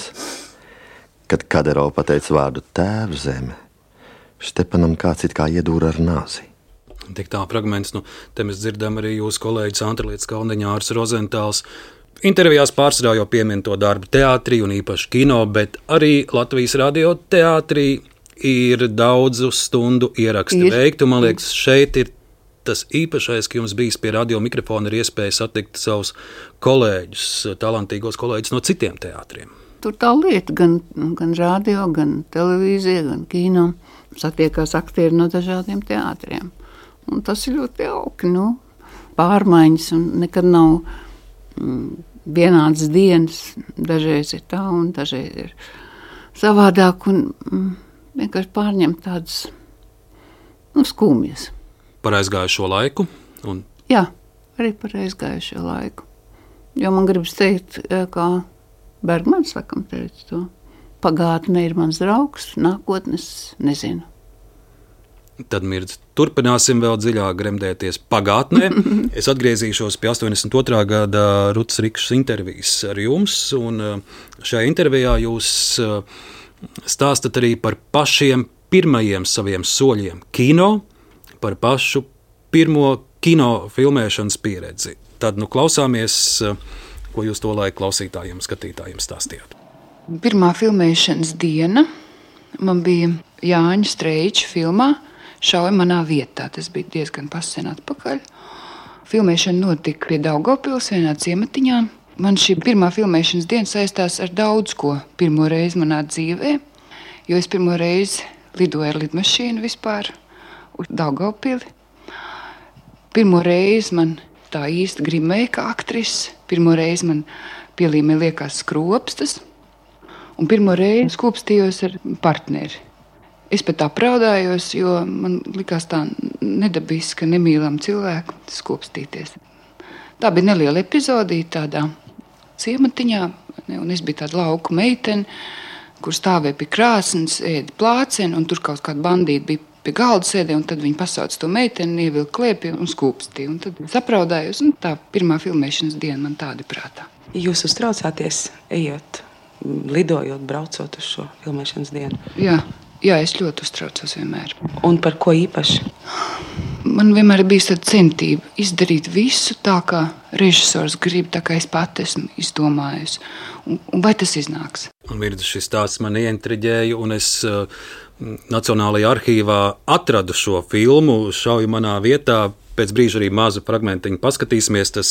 Kad Kaderova pateica vārdu tēvzeme, Stepanam kāds it kā iedūra ar nāzi. Tik tā fragments, nu, te mēs dzirdam arī jūsu kolēģis Antra Lietskalniņa, Āris Rozentāls. Intervijās pārsvarā jau piemin to darbu teātrī un īpaši kino, bet arī Latvijas radio teātrī ir daudzu stundu ieraksti veikti. Man liekas, šeit ir tas īpašais, ka jums bijis pie radio mikrofona ir iespēja satikt savus kolēģus, talantīgos kolēģus no citiem teātriem. Tur tā lieta, gan, gan radio, gan televīzija, gan kino. Satiekās aktieri no dažādiem teātriem. Un tas ir ļoti jauki, nu, pārmaiņas un nekad nav mm, vienādas dienas. Dažreiz ir tā un dažreiz ir savādāk un mm, vienkārši pārņem tādas, nu, skumjas. Par aizgājušo laiku? Un... Jā, arī par aizgājušo laiku. Jo man gribas teikt, kā Bergmans sakam teica to, pagātne ir mans draugs, nākotnes nezinu. Tad Mirdz, turpināsim vēl dziļāk gremdēties pagātnē. Es atgriezīšos pie astoņdesmit otrā gada Rutas Rikšas intervijas ar jums, un šajā intervijā jūs stāstat arī par pašiem pirmajiem saviem soļiem kino, par pašu pirmo kino filmēšanas pieredzi. Tad nu klausāmies, ko jūs to laiku klausītājiem, skatītājiem stāstījāt. Pirmā filmēšanas diena man bija Jāņa Streiča filmā Šauja manā vietā. Tas bija diezgan pasen atpakaļ. Filmēšana notika pie Daugavpils vienā ciematiņā. Man šī pirmā filmēšanas diena saistās ar daudz ko pirmo reizi manā dzīvē, jo es pirmo reizi lidoju ar lidmašīnu vispār uz Daugavpili. Pirmo reizi man tā īsti grimēja kā aktrise. Pirmo reizi man pielīmē liekas skropstas. Un pirmo reizi skūpstījos ar partneri. Es pat apraudājos, jo man likās tā nedabiski, nemīlam cilvēku skūpstīties. Tā bija neliela epizodīte tādā ciematiņā, un es biju tāda lauku meitene, kur stāvēja pie krāsnes, ēda plāceni, un tur kaut kāda bandīta bija pie galda sēdē, un tad viņi pasauca to meiteni, ievilka klēpī un skūpstīja. Un tad es apraudājos, un tā pirmā filmēšanas diena man tāda prātā. Jūs uztraucāties, ejot, lidojot, braucot uz šo filmēšanas dienu? Jā. Jā, es ļoti uztraucos vienmēr. Un par ko īpaši? Man vienmēr bija tāda centība izdarīt visu tā, kā režisors grib, tā kā es pati esmu izdomājusi. Un, un vai tas iznāks? Un Mirdz, šis stāsts man ieintriģēja, un es uh, Nacionālajā arhīvā atradu šo filmu Šauja manā vietā. Pēc brīža arī mazu fragmentiņu paskatīsimies. Tas,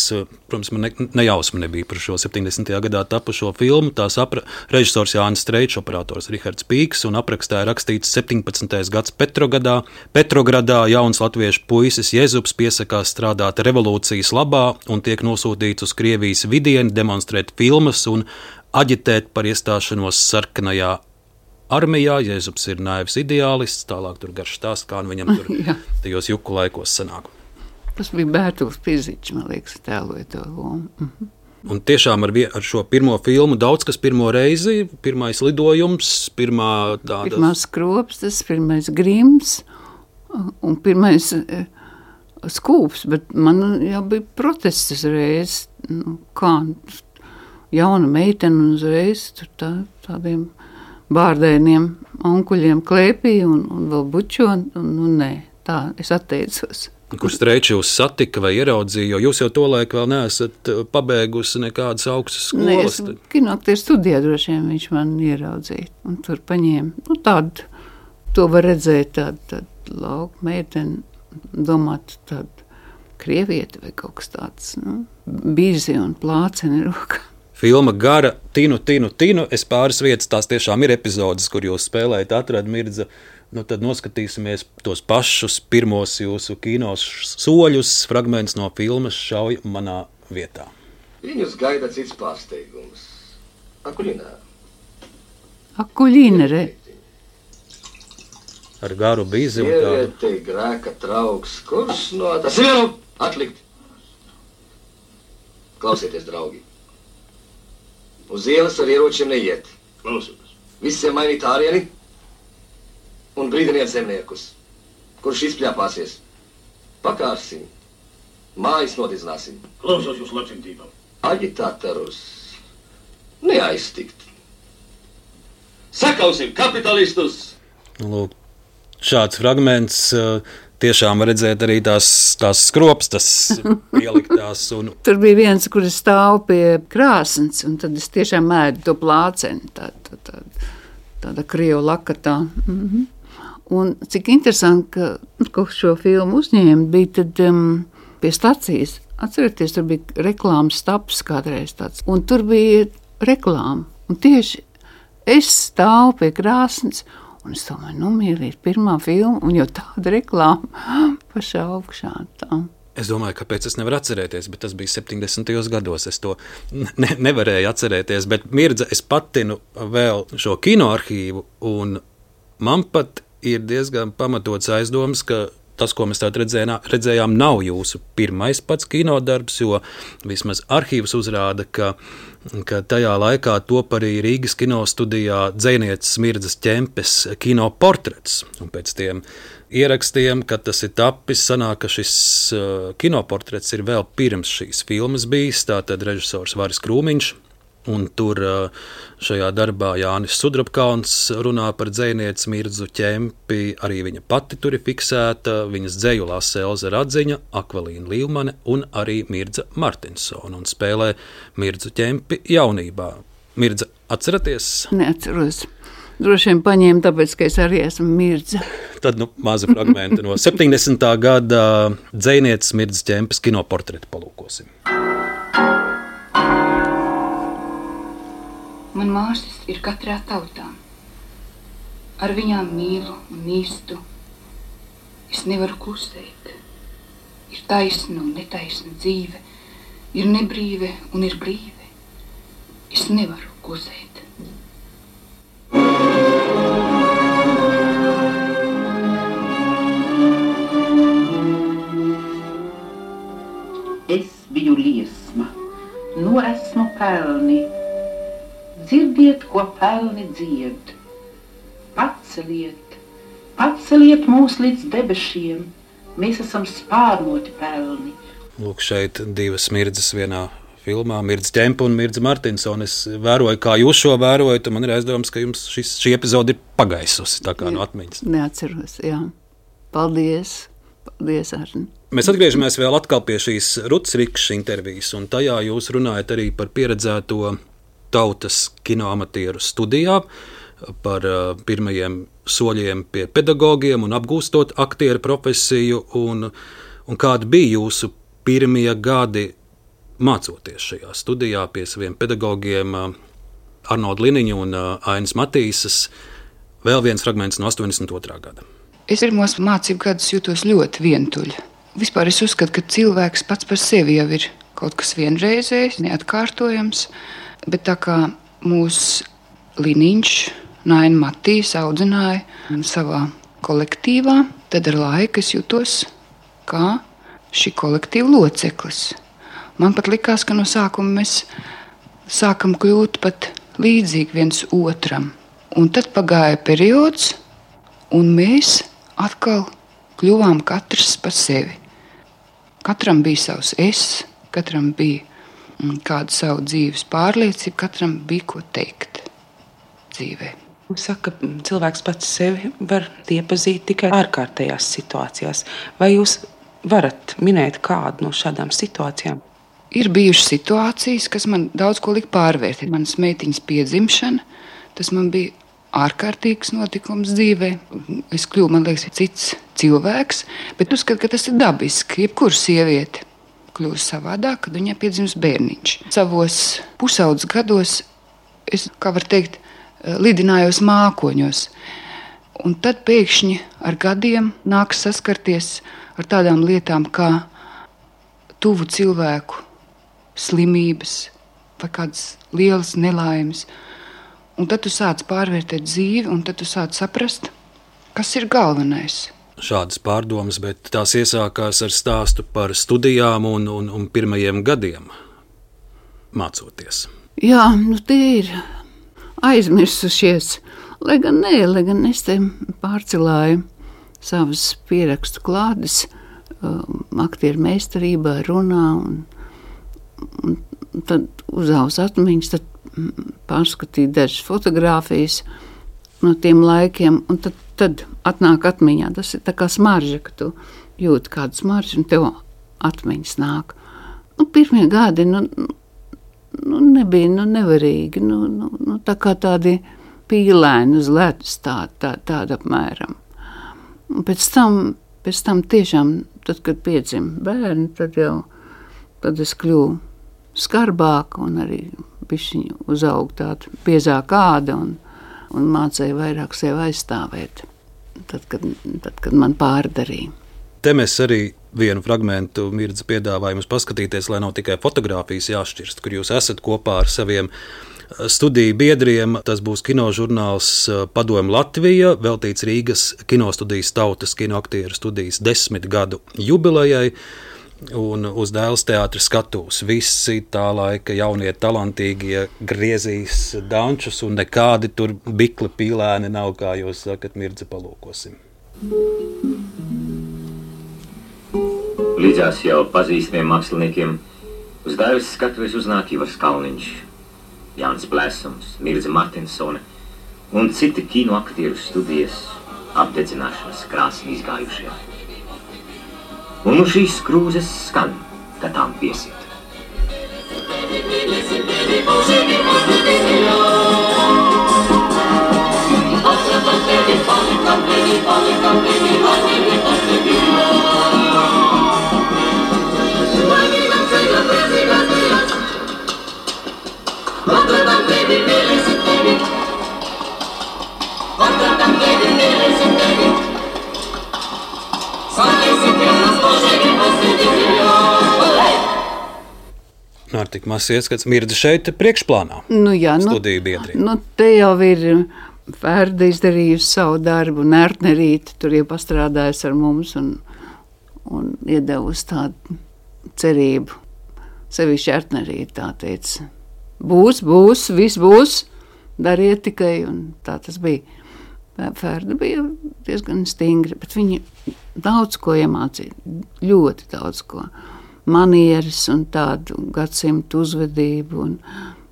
protams, man ne, nejausma nebija par šo septiņdesmitajā gadā tapušo filmu. Tās apra, režisors Jānis Streičs, operators Rihards Pīks, un aprakstā rakstīts septiņpadsmitais gads Petrogradā. Petrogradā jauns latviešu puisis Jezups piesakās strādāt revolūcijas labā un tiek nosūtīts uz Krievijas vidieni demonstrēt filmas un aģitēt par iestāšanos sarkanajā armijā. Jezups ir naivs ideālists, tālāk tur garš stāsts, kā viņam tur tajos juku laikos sanāk. Tas bija Bērtuls Pizičs, man liekas, tēloja to lomu. Mhm. Un tiešām ar, vie, ar šo pirmo filmu daudz kas pirmo reizi, pirmais lidojums, pirmā tāda... Pirmās skropstas, pirmais grims un pirmais eh, skūps, bet man jau bija protests uzreiz, nu, kā jauna meitene uzreiz tur tā, tādiem bārdēniem onkuļiem klēpī un, un vēl bučo, un, un nē, tā, es atteicos. Kur Streičs jūs satika vai ieraudzīja, jo jūs jau tolaik vēl neesat pabeigusi nekādas augstas skolas. Nē, es kinoaktieru studijā droši vien viņš man ieraudzīja, un tur paņēma, nu tādu, to var redzēt tādu, tādu lauku meiteni, domāt tādu krievieti vai kaut kas tāds, nu, bizi un plāceni rokā. Filma gara, tinu, tinu, tinu, es pāris vietas, tās tiešām ir epizodes, kur jūs spēlējat, atrad Mirdza. Nu, tad noskatīsimies tos pašus pirmos jūsu kinos soļus, fragments no filmas Šauja manā vietā. Viņus gaida cits pārsteigums. Akuļinā. Akuļina, re. Ar garu bizi un tādu. Sievietei grēka trauks, kurš no tas ir atlikt. Klausieties, draugi. Uz ielas ar ieročiem neiet. Klausieties. Visiem mainīt ārieni un brīdiniet zemniekus, kurš izpļāpāsies. Pakārsim, mājas nodizināsim. Klausos jūs labsimtībām. Aģitātorus neaiztikt. Sakausim kapitalistus! Lūk, šāds fragments tiešām redzēt arī tās, tās skropstas pieliktās. Un... Tur bija viens, kur es stāvu pie krāsnes, un tad es tiešām ēdu to plāceni, tā, tā, tā, tāda krievu lakatā. Mhm. Un cik interesanti, ka, ka šo filmu uzņēma, bija tad um, pie stacijas. Atcerieties, tur bija reklāmas staps kādreiz tāds, un tur bija reklāma. Un tieši es stāvu pie krāsnes, un es domāju, nu, mīlīt, pirmā filma, un jau tāda reklāma pašā augšā. Tā. Es domāju, kāpēc es nevaru atcerēties, bet tas bija septiņdesmitajos gados. Es to ne, nevarēju atcerēties, bet Mirdza, es patinu vēl šo kinoarhīvu, un man pat ir diezgan pamatots aizdoms, ka tas, ko mēs tādā redzējām, nav jūsu pirmais pats kinodarbs, jo vismaz arhīvs uzrāda, ka, ka tajā laikā top arī Rīgas kinostudijā Dzejnieces Mirdzas Ķempes kinoportrets. Un pēc tiem ierakstiem, kad tas ir tapis, sanāk, ka šis uh, kinoportrets ir vēl pirms šīs filmas bijis, tātad režisors Varis Krūmiņš. Un tur šajā darbā Jānis Sudrabkalns runā par dzejnieci Mirdzu Ķempi, arī viņa pati tur ir fiksēta, viņas dzeju lasa Elza Radziņa, Akvalīna Līvmane un arī Mirdza Martinsona un spēlē Mirdzu Ķempi jaunībā. Mirdza, atceraties? Neatceros. Droši vien paņēma, tāpēc, ka es arī esmu Mirdza. Tad, nu, maza fragmenta no septiņdesmitā gada dzejnieces Mirdzas Ķempes kinoportretu palūkosim. Man māsas ir katrā tautā. Ar viņām mīlu un mīstu. Es nevaru klusēt. Ir taisna un netaisna dzīve. Ir nebrīve un ir brīve. Es nevaru klusēt. Es biju liesma. Nu esmu pelni. Dzirdiet, ko pelni dzied. Paceliet, paceliet mūs līdz debešiem. Mēs esam spārnoti pelni. Lūk, šeit divas Mirdzas vienā filmā, Mirdza Ķempe un Mirdza Martinsona. Es vēroju, kā jūs šo vērojat, un man ir aizdomās, ka jums šis, šī epizode ir pagaisusi tā kā no atmiņas. Neatceros, jā. Paldies, paldies, Arni. Mēs atgriežamies vēl atkal pie šīs Ruts Rikšas intervijas, un tajā jūs runājat arī par pieredzēto tautas kinoamatieru studijā, par uh, pirmajiem soļiem pie pedagogiem un apgūstot aktieru profesiju, un, un kādi bija jūsu pirmie gadi mācoties šajā studijā pie saviem pedagogiem uh, Arnolda Liniņa un uh, Ainas Matīsas. Vēl viens fragments no astoņdesmit otrā gada. Es pirmos mācību gadus jūtos ļoti vientuļa. Vispār es uzskatu, ka cilvēks pats par sevi jau ir kaut kas vienreizējs, neatkārtojams. Bet tā kā mūsu Liniņš, Naina Matīs audzināja savā kolektīvā, tad ar laiku es jutos kā šī kolektīva loceklis. Man pat likās, ka no sākuma mēs sākam kļūt pat līdzīgi viens otram. Un tad pagāja periods, un mēs atkal kļuvām katrs par sevi. Katram bija savs es, katram bija kādu savu dzīves pārliecību, katram bija ko teikt dzīvē. Saka, ka cilvēks pats sevi var iepazīt tikai ārkārtējās situācijās. Vai jūs varat minēt kādu no šādām situācijām? Ir bijušas situācijas, kas man daudz ko lika pārvērtēt. Manas meitiņas piedzimšana, tas man bija ārkārtīgs notikums dzīvē. Es kļuvu, man liekas, cits cilvēks, bet uzskatu, ka tas ir dabiski. Jebkura sieviete kļūst savādāk, kad viņai piedzimst bērniņš. Savos pusaudzes gados es, kā var teikt, lidinājos mākoņos. Un tad pēkšņi ar gadiem nāks saskarties ar tādām lietām kā tuvu cilvēku slimības vai kādas lielas nelaimes. Un tad tu sāc pārvērtēt dzīvi, un tad tu sāc saprast, kas ir galvenais. Šādas pārdomas, bet tās iesākās ar stāstu par studijām un, un, un pirmajiem gadiem mācoties. Jā, nu tie ir aizmirsušies. Lai gan nē, lai gan es te pārcelāju savas pierakstu klādes um, aktieru meistarībā, runā, un, un tad uzaus atmiņas, tad pārskatīt dažas fotogrāfijas no tiem laikiem, un tad, tad atnāk atmiņā. Tas ir tā kā smarža, ka tu jūti kādu smaržu, un tev atmiņas nāk. Nu, pirmie gadi, nu, nu nebija, nu, nevarīgi, nu, nu, nu, tā kā tādi pīlēni uz ledus, tā, tā, tāda apmēram. Un pēc tam, pēc tam tiešām, tad, kad piedzima bērni, tad jau, tad es kļuvu skarbāka un arī bišķiņu uzaug tāda biezāka āda un, un mācēja vairāk sevi aizstāvēt, tad, kad, tad, kad man pārdarīja. Te mēs arī vienu fragmentu Mirdza piedāvājumus paskatīties, lai nav tikai fotogrāfijas jāšķirst, kur jūs esat kopā ar saviem studiju biedriem. Tas būs kinožurnāls Padomu Latvija, veltīts Rīgas kinostudijas tautas kinoaktieru studijas desmit gadu jubilejai. Un uz Dēls teātra skatuves visi tā laika jaunie talantīgie griezīs dančus, un nekādi tur bikli pīlēni nav, kā jūs sakat, Mirdze, palūkosim. Līdzās jau pazīstamiem māksliniekiem uz Dēļas skatuves uznāk Ivars Kalniņš, Jānis Blēsums, Mirdze Martinsone un citi kino aktieru studijas apdedzināšanas krāsni izgājušie. Un nu šīs krūzes skan, kad tām piesiet. Ar tik maz ieskats Mirdze šeit priekšplānā. Nu jā, studiju biedri. Nu, te jau ir Ferda izdarījusi savu darbu, un Ērtnerīte tur jau pastrādājas ar mums un, un iedevusi tādu cerību. Sevišķi Ērtnerīte tā teica, būs, būs, viss būs, dariet tikai, un tā tas bija. Ferda bija diezgan stingri, bet viņa daudz ko iemācīja, ļoti daudz ko. Manieres un tādu gadsimtu uzvedību, un,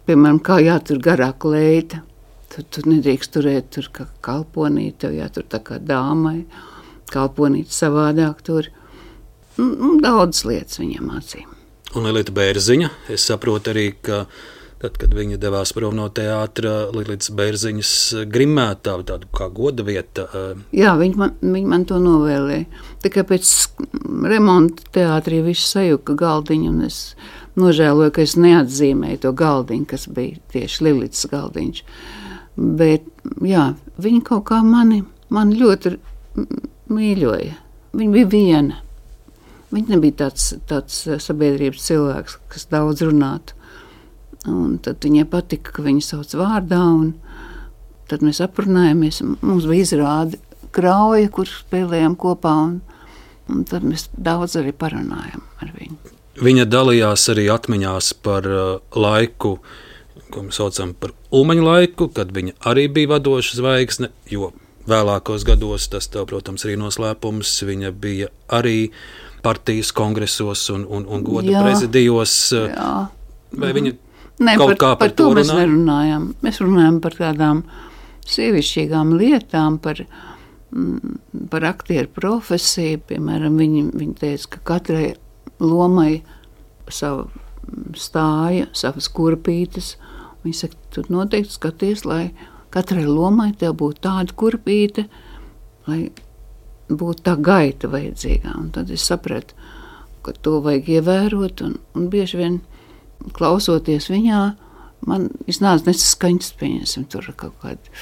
piemēram, kā jātur garā kleita. Tu, tu nedrīkst turēt tur kā kalponīt, tev jātur tā kā dāmai, kalponīt savādāk tur. Un, daudz lietas viņam mācīja. Un Lilita Bērziņa, es saprotu arī, ka tad, kad viņa devās prom no teātra, Lilitas Bērziņas grimētā, tādu kā goda vieta. Jā, viņa man, viņa man to novēlēja. Tikai pēc remonta teātrī viss sajuka galdiņu, un es nožēloju, ka es neatzīmēju to galdiņu, kas bija tieši Lilitas galdiņš. Bet, jā, viņa kaut kā mani, mani ļoti mīļoja. Viņa bija viena. Viņa nebija tāds, tāds sabiedrības cilvēks, kas daudz runātu. Un tad viņai patika, ka viņu sauc vārdā, un tad mēs aprunājāmies. Mums bija izrāde Krauja, kur spēlējām kopā, un, un tad mēs daudz arī parunājām ar viņu. Viņa dalījās arī atmiņās par laiku, ko mēs saucam par Ulmaņa laiku, kad viņa arī bija vadoša zvaigzne, jo vēlākos gados tas tev, protams, arī noslēpums. Viņa bija arī partijas kongresos un, un, un goda jā, prezidijos. Jā. Vai viņa Nē, kaut par, kā par, par to, to mēs runā? nerunājam. Mēs runājam par tādām sievišķīgām lietām, par, mm, par aktieru profesiju. Piemēram, viņi, viņi teica, ka katrai lomai savu stāja, savas kurpītes. Viņi saka, tu noteikti skaties, lai katrai lomai tev būtu tāda kurpīte, lai būtu tā gaita vajadzīgā. Un tad es sapratu, ka to vajag ievērot, un, un bieži vien klausoties viņā, man iznāca nesaskaņas, pieņemsim, tur kaut kāda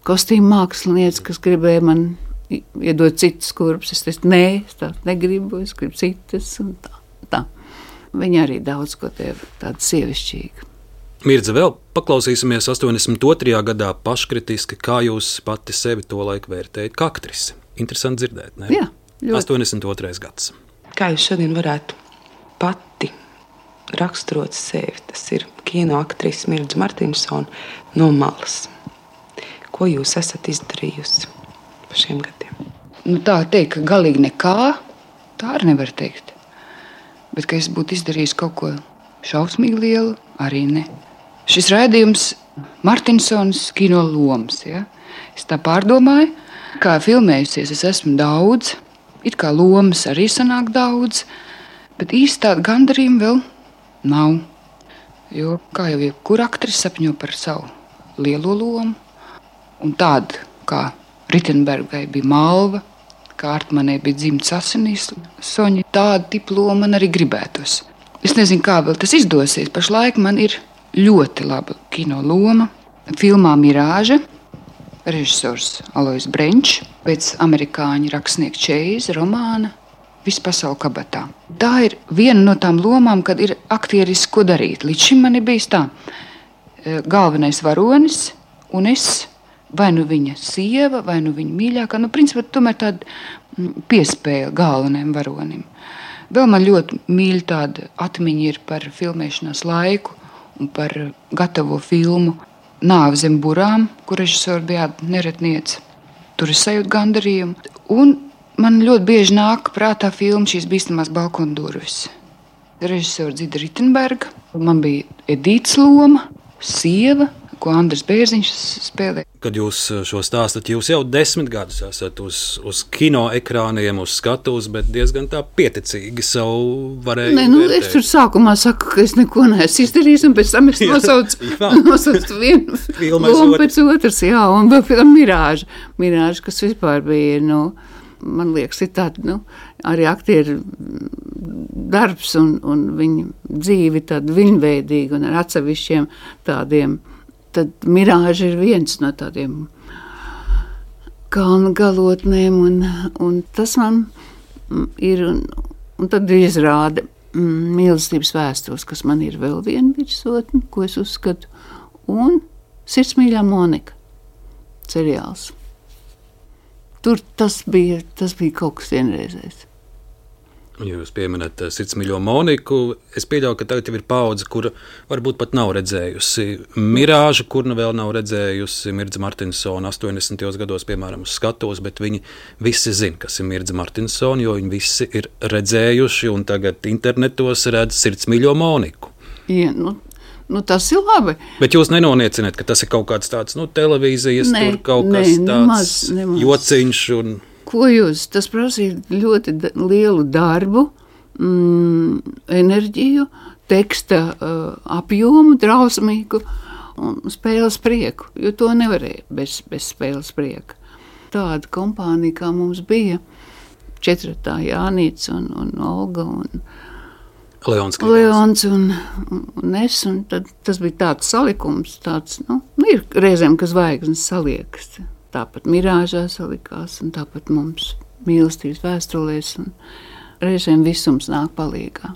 kostīma māksliniece, kas gribēja man iedot citas kurpes. Es teicu, nē, es tā negribu, es gribu citas, un tā, tā. Viņa arī daudz ko tev tāda sievišķīga. Mirdze, vēl paklausīsimies astoņdesmit otrajā gadā paškritiski, kā jūs pati sevi to laiku vērtējat kā aktrisi. Interesanti dzirdēt, ne? Jā, ļoti. astoņdesmit otrais gads. Kā jūs šodien varētu pati raksturot sevi? Tas ir kino aktrise Mirdze Martinsone no malas. Ko jūs esat izdarījusi pa šiem gadiem? Nu, tā teikt, ka galīgi nekā, tā arī nevar teikt. Bet, ka es būtu izdarījis kaut ko šausmīgi lielu, arī ne. Šis raidījums Martinsonas kino lomas, ja? Es tā pārdomāju, kā filmējusies es esmu daudz, it kā lomas arī sanāk daudz, bet īsti tāda gandarījuma vēl nav. Jo, kā jau jebkura aktrise sapņo par savu lielo lomu, un tāda, kā Ritenbergai bija Malva, kā Artmanai bija Dzimts asinīs Soņa, tāda tipa loma man arī gribētos. Es nezinu, kā vēl tas izdosies. Pašlaik man ir ļoti laba kino loma. Filmā Mirāža, režisors Alois Brenčs, pēc amerikāņu rakstnieka Čeiza romāna Viss pasaule kabatā. Tā ir viena no tām lomām, kad ir aktieris ko darīt. Līdz šim man ir bijis tā. galvenais varonis un es, vai nu viņa sieva, vai nu viņa mīļākā. Nu, principā, tomēr tāda piespēle galvenajam varonim. Vēl man ļoti mīļa tāda atmiņa ir par filmēšanās laiku un par gatavo filmu Nāve zem burām, kur režisori bija neretniece. Tur es sajūtu gandarījumu. Un man ļoti bieži nāk prātā filma Šīs bīstamās balkona durvis. Režisora Dzida Ritenberga. Man bija Edītas loma, sieva, ko Andris Bērziņš spēlē. Kad jūs šo stāstat, jūs jau desmit gadus esat uz, uz kino ekrāniem, uz skatuves, bet diezgan tā pieticīgi savu varēju Nē, nu, vērtēt. es tur sākumā saku, ka es neko neesmu izdarījis, un pēc tam es nosaucu, nosaucu vienu lomu pēc otras, jā, un vēl pēc tam Mirāža. Mirāža, kas vispār bija, nu, man liekas, ir tāda, nu, arī aktieru darbs un, un viņa dzīvi tāda viņveidīga un ar atsevišķiem tādiem. Tad Mirāža ir viens no tādiem kalnu galotnēm, un, un tas man ir, un, un tad izrāda mm, mīlestības vēstules, kas man ir vēl viena virsotne, ko es uzskatu, un Sirdsmīļā Monika seriāls. Tur tas bija, tas bija kaut kas vienreizējs. Ja jūs pieminat Sirdsmīļo Moniku, es pieļauju, ka tagad ir paudze, kura varbūt pat nav redzējusi Mirāžu, kur nu vēl nav redzējusi Mirdza Martinsona astoņdesmitajos gados, piemēram, uz skatuves, bet viņi visi zina, kas ir Mirdza Martinsona, jo viņi visi ir redzējuši un tagad internetos redz Sirdsmīļo Moniku. Ja, nu, nu tas ir labi. Bet jūs nenoniecināt, ka tas ir kaut kāds tāds, nu, televīzijas, ne, tur kaut ne, kas tāds nemaz, nemaz. jociņš un... Ko jūs? Tas prasīja ļoti da- lielu darbu, mm, enerģiju, teksta uh, apjomu, drausmīgu un spēles prieku, jo to nevarēja bez, bez spēles prieka. Tāda kompānija, kā mums bija, četratā Jānīts un, un Olga un Leons, Leons un, un, un es, un tad tas bija tāds salikums, tāds, nu, ir reizēm, ka zvaigznes saliekas. Tāpat Mirāžā salikās, un tāpat mums mīlestības vēstulēs, un reizēm visums nāk palīgā.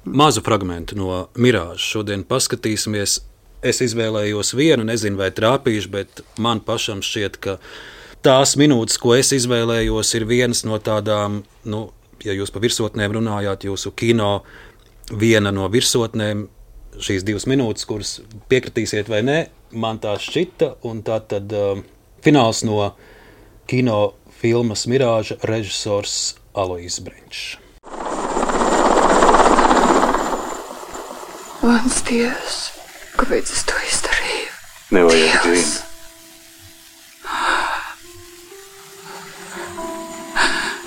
Mazu fragmentu no Mirāžas šodien paskatīsimies. Es izvēlējos vienu, nezinu, vai trāpīšu, bet man pašam šķiet, ka tās minūtes, ko es izvēlējos, ir vienas no tādām, nu, ja jūs pa virsotnēm runājāt, jūsu kino viena no virsotnēm, šīs divas minūtes, kuras piekritīsiet vai nē, man tā šķita, un tā tad... Uh, Fināls no kino filmas Mirāža režisors Alois Brenčs. Mans Dievs, kāpēc es to izdarīju? Nevajag vien.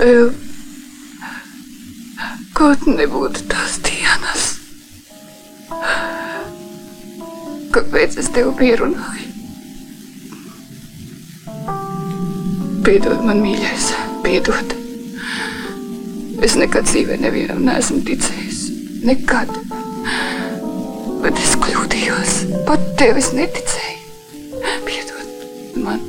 Vēl kaut nebūtu tās dienas. Kāpēc es tev pierunāju? Piedod man, mīļais, piedod. Es nekad dzīvē nevienam neesmu ticējis. Nekad. Bet es kļūdījos. Pat tev es neticēju. Piedod man.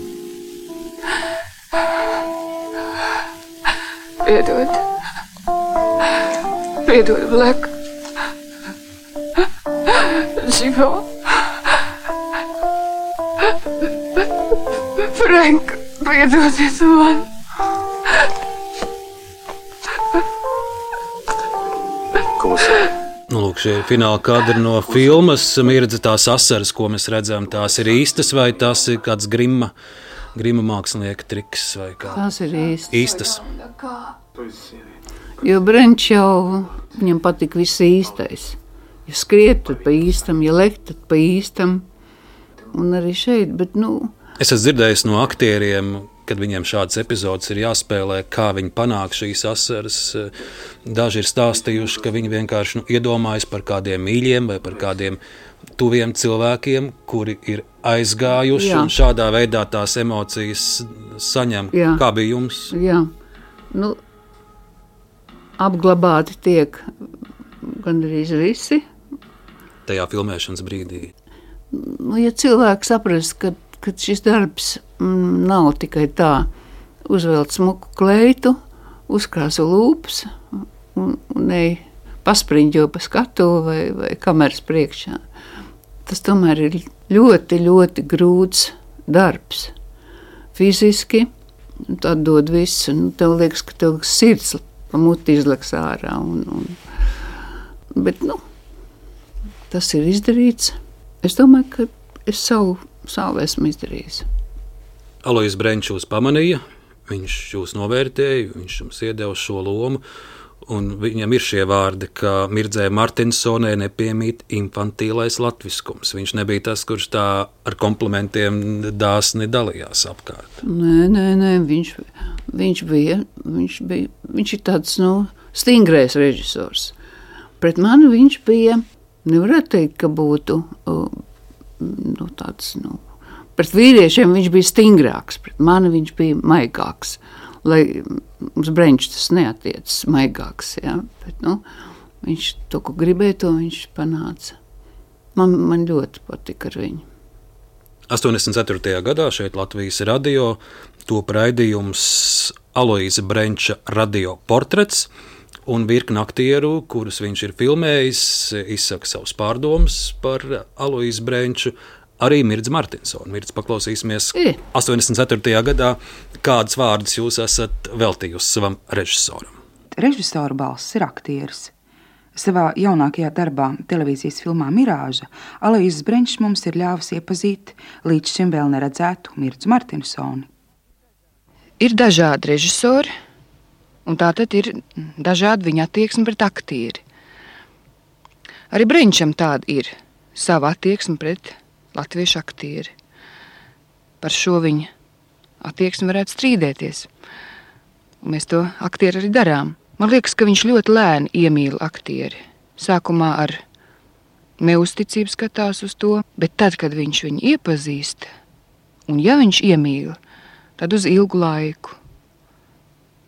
Piedod. Piedod, Black. Živo. Frank. Piedodiet man! Nu, lūk, šie ir fināla kadri no filmas. Mirdza, tās asaras, ko mēs redzam, tās ir īstas vai tās ir kāds grima, grima mākslinieka triks? Vai kā? Tās ir īstas. īstas. Jo Brenčs jau viņam patika viss īstais. Ja skriet, tad pa īstam, ja lekt, tad pa īstam. Un arī šeit, bet nu... Es esmu dzirdējis no aktieriem, kad viņiem šādas epizodes ir jāspēlē, kā viņi panāk šīs asaras. Daži ir stāstījuši, ka viņi vienkārši nu, iedomājas par kādiem mīļiem vai par kādiem tuviem cilvēkiem, kuri ir aizgājuši Jā. Un šādā veidā tās emocijas saņem. Jā. Kā bija jums? Jā, nu, apglabāti tiek gandrīz visi. Tajā filmēšanas brīdī. Nu, ja cilvēks saprast, ka ka šis darbs mm, nav tikai tā, uzvelt smuku kleitu, uzkrāsu lūpas un, un ej paspriņģo pa skatu vai, vai kameras priekšā. tas tomēr ir ļoti, ļoti grūts darbs. Fiziski tad dod visu. Nu, tev liekas, ka tev sirds pa muti izleks ārā. Un, un, bet, nu, tas ir izdarīts. Es domāju, ka es savu, savu esmu izdarījis. Alojs Brenčs jūs pamanīja, viņš jūs novērtēja, viņš jums iedeva šo lomu, un viņam ir šie vārdi, ka Mirdzē Martinsonē nepiemīt infantīlais latviskums. Viņš nebija tas, kurš tā ar komplimentiem dāsni dalījās apkārt. Nē, nē, nē, viņš, viņš bija, viņš bija, viņš ir tāds, nu, stingrais režisors. Pret mani viņš bija, nevarētu teikt, ka būtu, nu, tāds, nu, pret vīriešiem viņš bija stingrāks, pret mani viņš bija maigāks. Lai uz Brenču tas neatiecas maigāks, ja? Bet, nu, viņš to, ko gribēja, to viņš panāca. Man, man ļoti patika ar viņu. astoņdesmit ceturtajā gadā šeit Latvijas radio top raidījums Alojsa Brenča radio portrets, un virkni aktieru, kurus viņš ir filmējis, izsaka savus pārdomas par Alojsu Brenču. Arī Mirdz Martinsona. Mirdz, paklausīsimies I. astoņdesmit ceturtajā gadā, kādas vārdas jūs esat veltījusi savam režisoram. Režisora balss ir aktieris. Savā jaunākajā darbā, televīzijas filmā Mirāža, Alojs Brenčs mums ir ļāvis iepazīt līdz šim vēl neredzētu Mirdz Martinsoni. Ir dažādi režisori, un tātad ir dažādi viņa attieksme pret aktieri. Arī Brenčam tāda ir sava attieksme pret latviešu aktieri. Par šo viņa attieksmi varētu strīdēties. Un mēs to aktieri arī darām. Man liekas, ka viņš ļoti lēni iemīl aktieri. Sākumā ar neuzticību skatās uz to, bet tad, kad viņš viņu iepazīst, un ja viņš iemīl, tad uz ilgu laiku.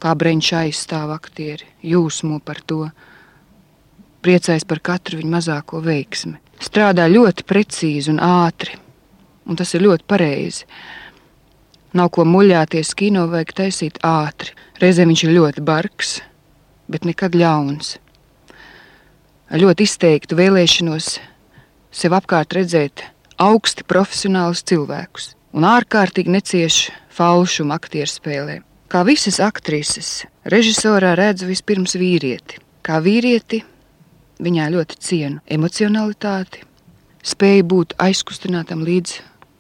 Kā Brenčs aizstāv aktieri, jūsmo par to, priecājas par katru viņa mazāko veiksmi. Strādā ļoti precīzi un ātri, un tas ir ļoti pareizi. Nav ko muļāties, kino vajag taisīt ātri. Reizēm viņš ir ļoti bargs, bet nekad ļauns. Ar ļoti izteiktu vēlēšanos sev apkārt redzēt augsti profesionālus cilvēkus un ārkārtīgi necieši falšumu aktieru spēlē. Kā visas aktrises, režisorā redzu vispirms vīrieti. Kā vīrieti viņā ļoti cienu emocionalitāti, spēju būt aizkustinātam līdz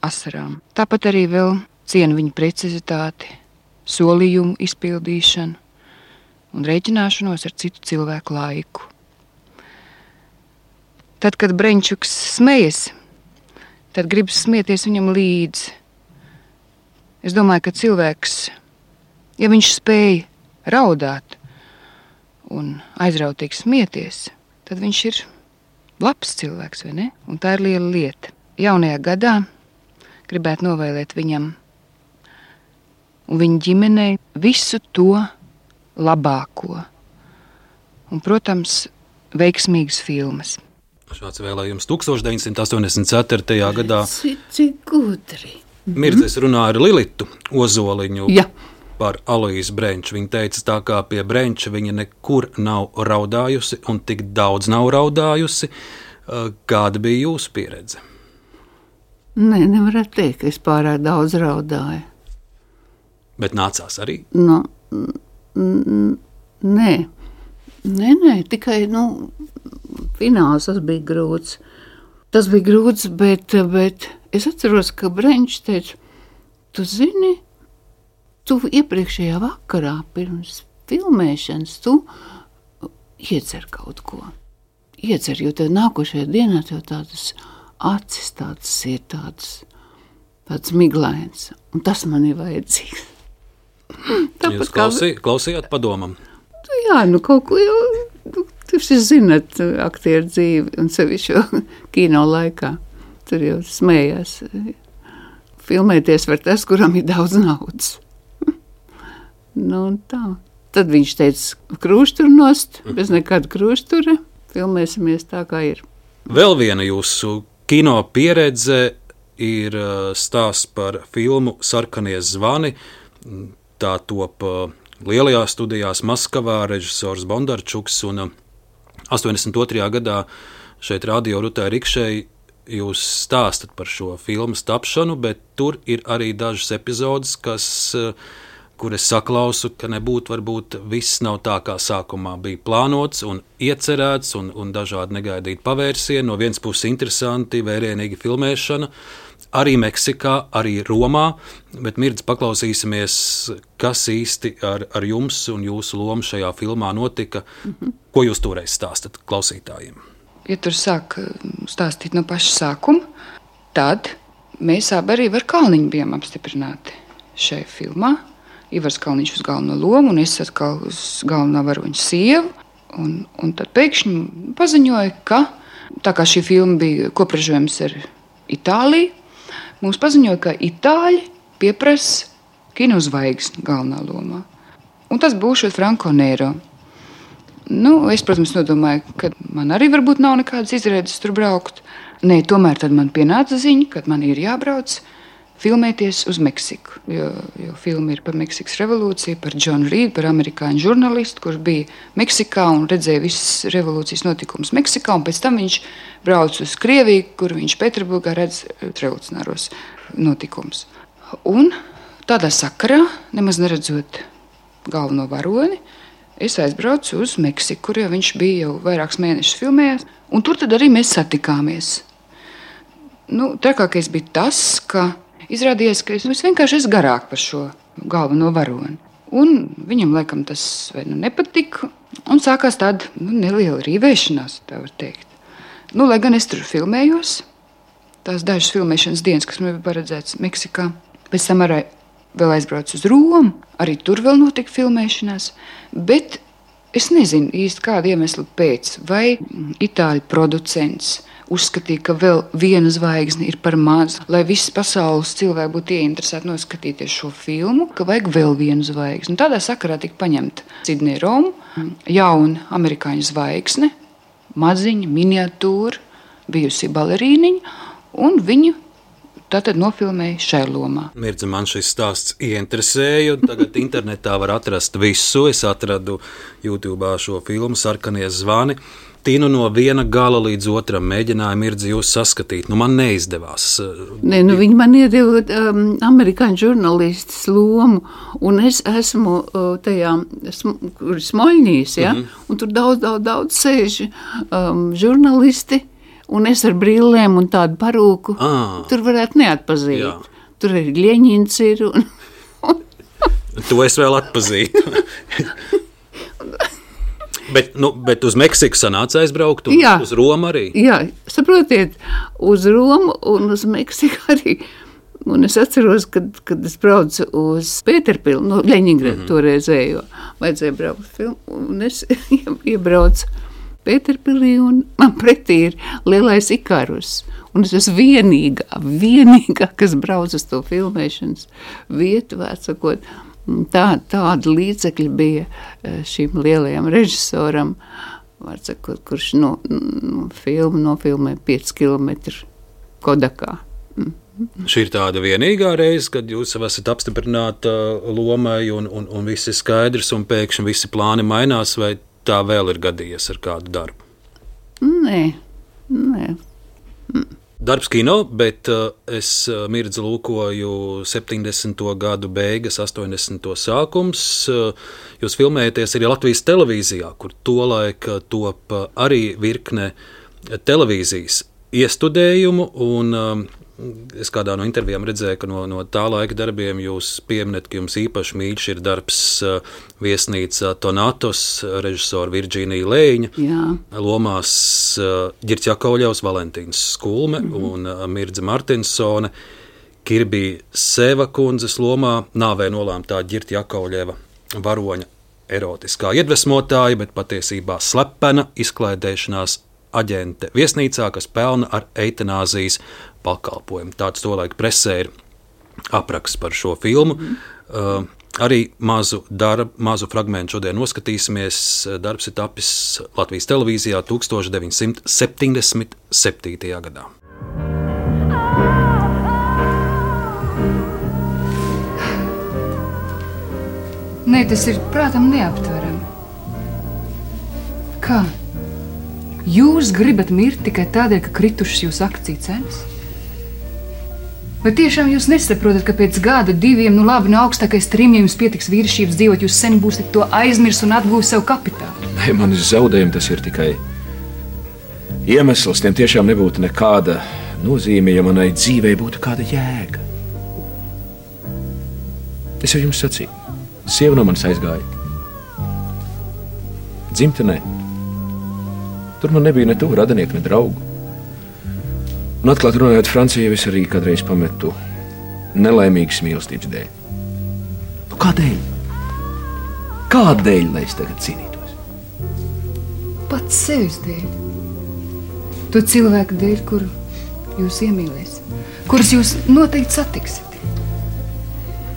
asarām. Tāpat arī vēl cienu viņa precizitāti, solījumu izpildīšanu un rēķināšanos ar citu cilvēku laiku. Tad, kad Brenčuks smejas, tad gribas smieties viņam līdzi. Es domāju, ka cilvēks, ja viņš spēja raudāt un aizrautīgi smieties, tad viņš ir labs cilvēks, vai ne? Un tā ir liela lieta. Jaunajā gadā gribētu novēlēt viņam un viņa ģimenei visu to labāko. Un, protams, veiksmīgas filmas. Šāds vēlējums deviņdesmit astoņdesmit ceturtajā gadā. Cik, cik gudri. Mirdzes runāja ar Lilitu Ozoliņu. Ja. Par Alojsu Brenču. Viņa teica, tā kā pie Brenča viņa nekur nav raudājusi un tik daudz nav raudājusi. Kāda bija jūsu pieredze? Nē, nevarētu teikt, ka es pārāk daudz raudāju. Bet nācās arī? No, n- nē. Nē, nē, tikai, nu, fināls tas bija grūts. Tas bija grūts, bet, bet es atceros, ka Brenčs teica, tu zini, tu iepriekšējā vakarā pirms filmēšanas tu iedzer kaut ko. Iedzer, jo tev nākošajā dienā tev tādas acis tādas ir tādas, tādas miglains. Un tas man ir vajadzīgs. Jūs klausī, klausījāt padomam? Jā, nu kaut ko jau, nu, jūs zināt aktieru dzīvi un sevišķi kino laikā. Tur jau smējās. Filmēties var tas, kuram ir daudz naudas. Nu, tā. Tad viņš teica, krūštur nost, bez nekāda krūštura, filmēsimies tā, kā ir. Vēl viena jūsu kino pieredze ir stāsts par filmu Sarkanie zvani. Tā top lielajās studijās Maskavā, režisors Bondarčuks, un astoņdesmit otrajā gadā šeit radio Rutai Rikšei jūs stāstat par šo filmas tapšanu, bet tur ir arī dažas epizodes, kas, kur es saklausu, ka nebūtu, varbūt viss nav tā, kā sākumā bija plānots un iecerēts, un, un dažādi negaidīti pavērsieni. No vienas puses interesanti, vērienīgi filmēšana, arī Meksikā, arī Romā, bet Mirdz, paklausīsimies, kas īsti ar, ar jums un jūsu lomu šajā filmā notika. Mm-hmm. Ko jūs toreiz stāstat klausītājiem? Ja tur sāk stāstīt no paša sākuma, tad mēs abi arī ar Kalniņu bijām apstiprināti šajā filmā. Ivars Kalniņš uz galveno lomu un es atkal uz galvenā varoņa sievu. Un, un tad pēkšņi paziņoja, ka tā kā šī filma bija kopražojums ar Itāliju, mums paziņoja, ka Itāļi pieprasa kinozvaigzni galvenā lomā. Un tas būšot Franco Nero. Nu, es, protams, nodomāju, ka man arī varbūt nav nekādas izredzes tur braukt. Nē, tomēr tad man pienāca ziņa, ka man ir jābrauc filmēties uz Meksiku. Jo, jo filma ir par Meksikas revolūciju, par Johnu Reedu, par amerikāņu žurnālistu, kurš bija Meksikā un redzēja visas revolūcijas notikumus Meksikā. Un pēc tam viņš brauc uz Krieviju, kur viņš Pēterburgā redz revolucionāros notikumus. Un tādā sakarā, nemaz neredzot galveno varoni, es aizbraucu uz Meksiku, kur jau viņš bija jau vairākus mēnešus filmējis, un tur tad arī mēs satikāmies. Nu, trakākais bija tas, ka izrādījās, ka es, es vienkārši esmu garāk par šo galveno varoni. Un viņam laikam tas vai nu nepatika, un sākās tāda nu, neliela rīvēšanās, tā var teikt. Nu, lai gan es tur filmējos, tās dažas filmēšanas dienas, kas man bija paredzētas Meksikā, pēc tam arī vēl aizbraucu uz Romu, arī tur vēl notika filmēšanās, bet es nezinu īsti kādu iemeslu pēc, vai itāļu producents uzskatīja, ka vēl viena zvaigzne ir par maz, lai visas pasaules cilvēki būtu ieinteresēti noskatīties šo filmu, ka vajag vēl vienu zvaigzni. Tādā sakarā tika paņemta Sidney Roma, jauna amerikāņu zvaigzne, maziņa, miniatūra, bijusi balerīniņa, un viņu tātad nofilmēja šai lomā. Mirdze, man šis stāsts ieinteresēja, tagad internetā var atrast visu. Es atradu YouTube'ā šo filmu Sarkanie zvani. Tīnu no viena gala līdz otram mēģināja Mirdzi jūs saskatīt. Nu, man neizdevās. Nē, nu viņi man iedeva um, amerikāņu žurnālistas lomu, un es esmu uh, tajā, sm, kur Smoļņīs, ja? Mm-hmm. Un tur daudz, daudz, daudz sēž um, žurnālisti, un es ar brillēm un tādu parūku, ah, tur varētu neatpazīt. Jā. Tur arī Ļeņins ir. Un, un... To es vēl atpazītu. bet, nu, bet uz Meksiku sanāca aizbraukt, un jā, uz Romu arī? Jā, saprotiet, uz Romu un uz Meksiku arī. Un es atceros, kad, kad es braucu uz Pēterpili, no Ļeņingrada mm-hmm. toreizējo, vajadzēja braukt filmu, un es iebraucu Pēterpilī, un man pretī ir lielais Ikarus. Un es esmu vienīgā, vienīgā, kas brauc uz to filmēšanas vietu, vecākot. Tā, tāda līdzekļa bija šim lielajam režisoram, vecākot, kurš no, no filmu nofilmē pieci kilometri Kodakā. Mm. Šī ir tāda vienīgā reize, kad jūs esat apstiprināta lomai, un, un, un viss ir skaidrs, un pēkšņi visi plāni mainās, vai tā vēl ir gadījies ar kādu darbu? Nē, nē. Mm. Darbs kino, bet uh, es uh, Mirdzi lūkoju septiņdesmito gadu beigas, astoņdesmito sākums. Uh, jūs filmējaties arī Latvijas televīzijā, kur tolaik top arī virkne televīzijas iestudējumu, un um, es kādā no intervijām redzēju, ka no, no tā laika darbiem jūs pieminat, ka jums īpaši mīļš ir darbs uh, viesnīca Tonatos, režisora Virģīnija Lēņa, jā, lomās uh, Ģirts Jakovļevs, Valentīns Skulme mm-hmm. un uh, Mirdze Martinsone, Kirbī Seva kundzes lomā nāvē nolēmtā Ģirta Jakovļeva varoņa erotiskā iedvesmotāja, bet patiesībā slepena izklaidēšanās aģente viesnīcā, kas pelna ar eitanāzijas pakalpojumu. Tāds tolaik presē ir apraksts par šo filmu. Mm. Uh, arī mazu darbu, mazu fragmentu šodien noskatīsimies. Darbs ir tapis Latvijas televīzijā tukstovš deviņsimt septiņdesmit septītajā gadā. Nē, tas ir prātam neaptverami. Kā? Jūs gribat mirt tikai tādēļ, ka kritušas jūsu akciju cenas? Vai tiešām jūs nesaprotat, ka pēc gada diviem, nu labi, no augstākais trim, ja jums pietiks vīrišķības dzīvot, jūs sen būsiet to aizmirs un atgūs savu kapitālu? Nē, manis zaudējumi tas ir tikai iemesls. Tiem tiešām nebūtu nekāda nozīme, ja manai dzīvei būtu kāda jēga. Es jau jums sacīju, sieva no manis aizgāja. Dzimtenē. Tur man nebija ne tuvu radinieku, ne draugu. Un atklāt runājot, Francijā es arī kādreiz pametu nelaimīgas mīlestības dēļ. Nu, kādēļ? Kādēļ, lai es tagad cīnītos? Pats sevis dēļ. To cilvēku dēļ, kuru jūs iemīlēsiet, kurus jūs noteikti satiksiet.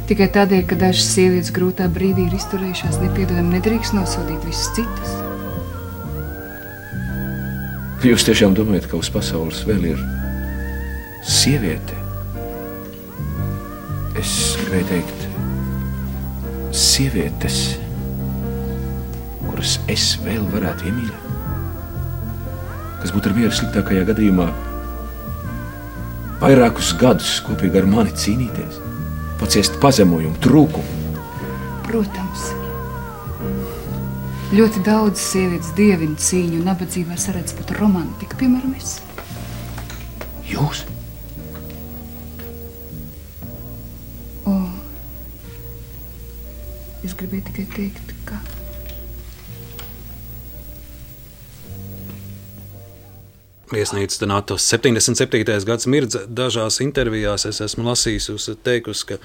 Tikai tādēļ, ka dažas sievietes grūtā brīdī ir izturējušās nepiedodami, nedrīkst nosodīt visus citus. Jūs tiešām domājat, ka uz pasaules vēl ir sieviete? Es gribēju teikt, sievietes, kuras es vēl varētu iemīļot, kas būtu ar mieru sliktākajā gadījumā vairākus gadus kopīgi ar mani cīnīties, paciest pazemojumu, trūkumu. Protams. Ļoti daudz sievietes dievina cīņu un nabadzībā saredz pat romantiku, piemēram, es. Jūs? O, es gribēju tikai teikt, ka... Viesnīca Donatos septiņdesmit septītais gads Mirdza. Dažās intervijās es esmu lasījis, jūs teikusi, ka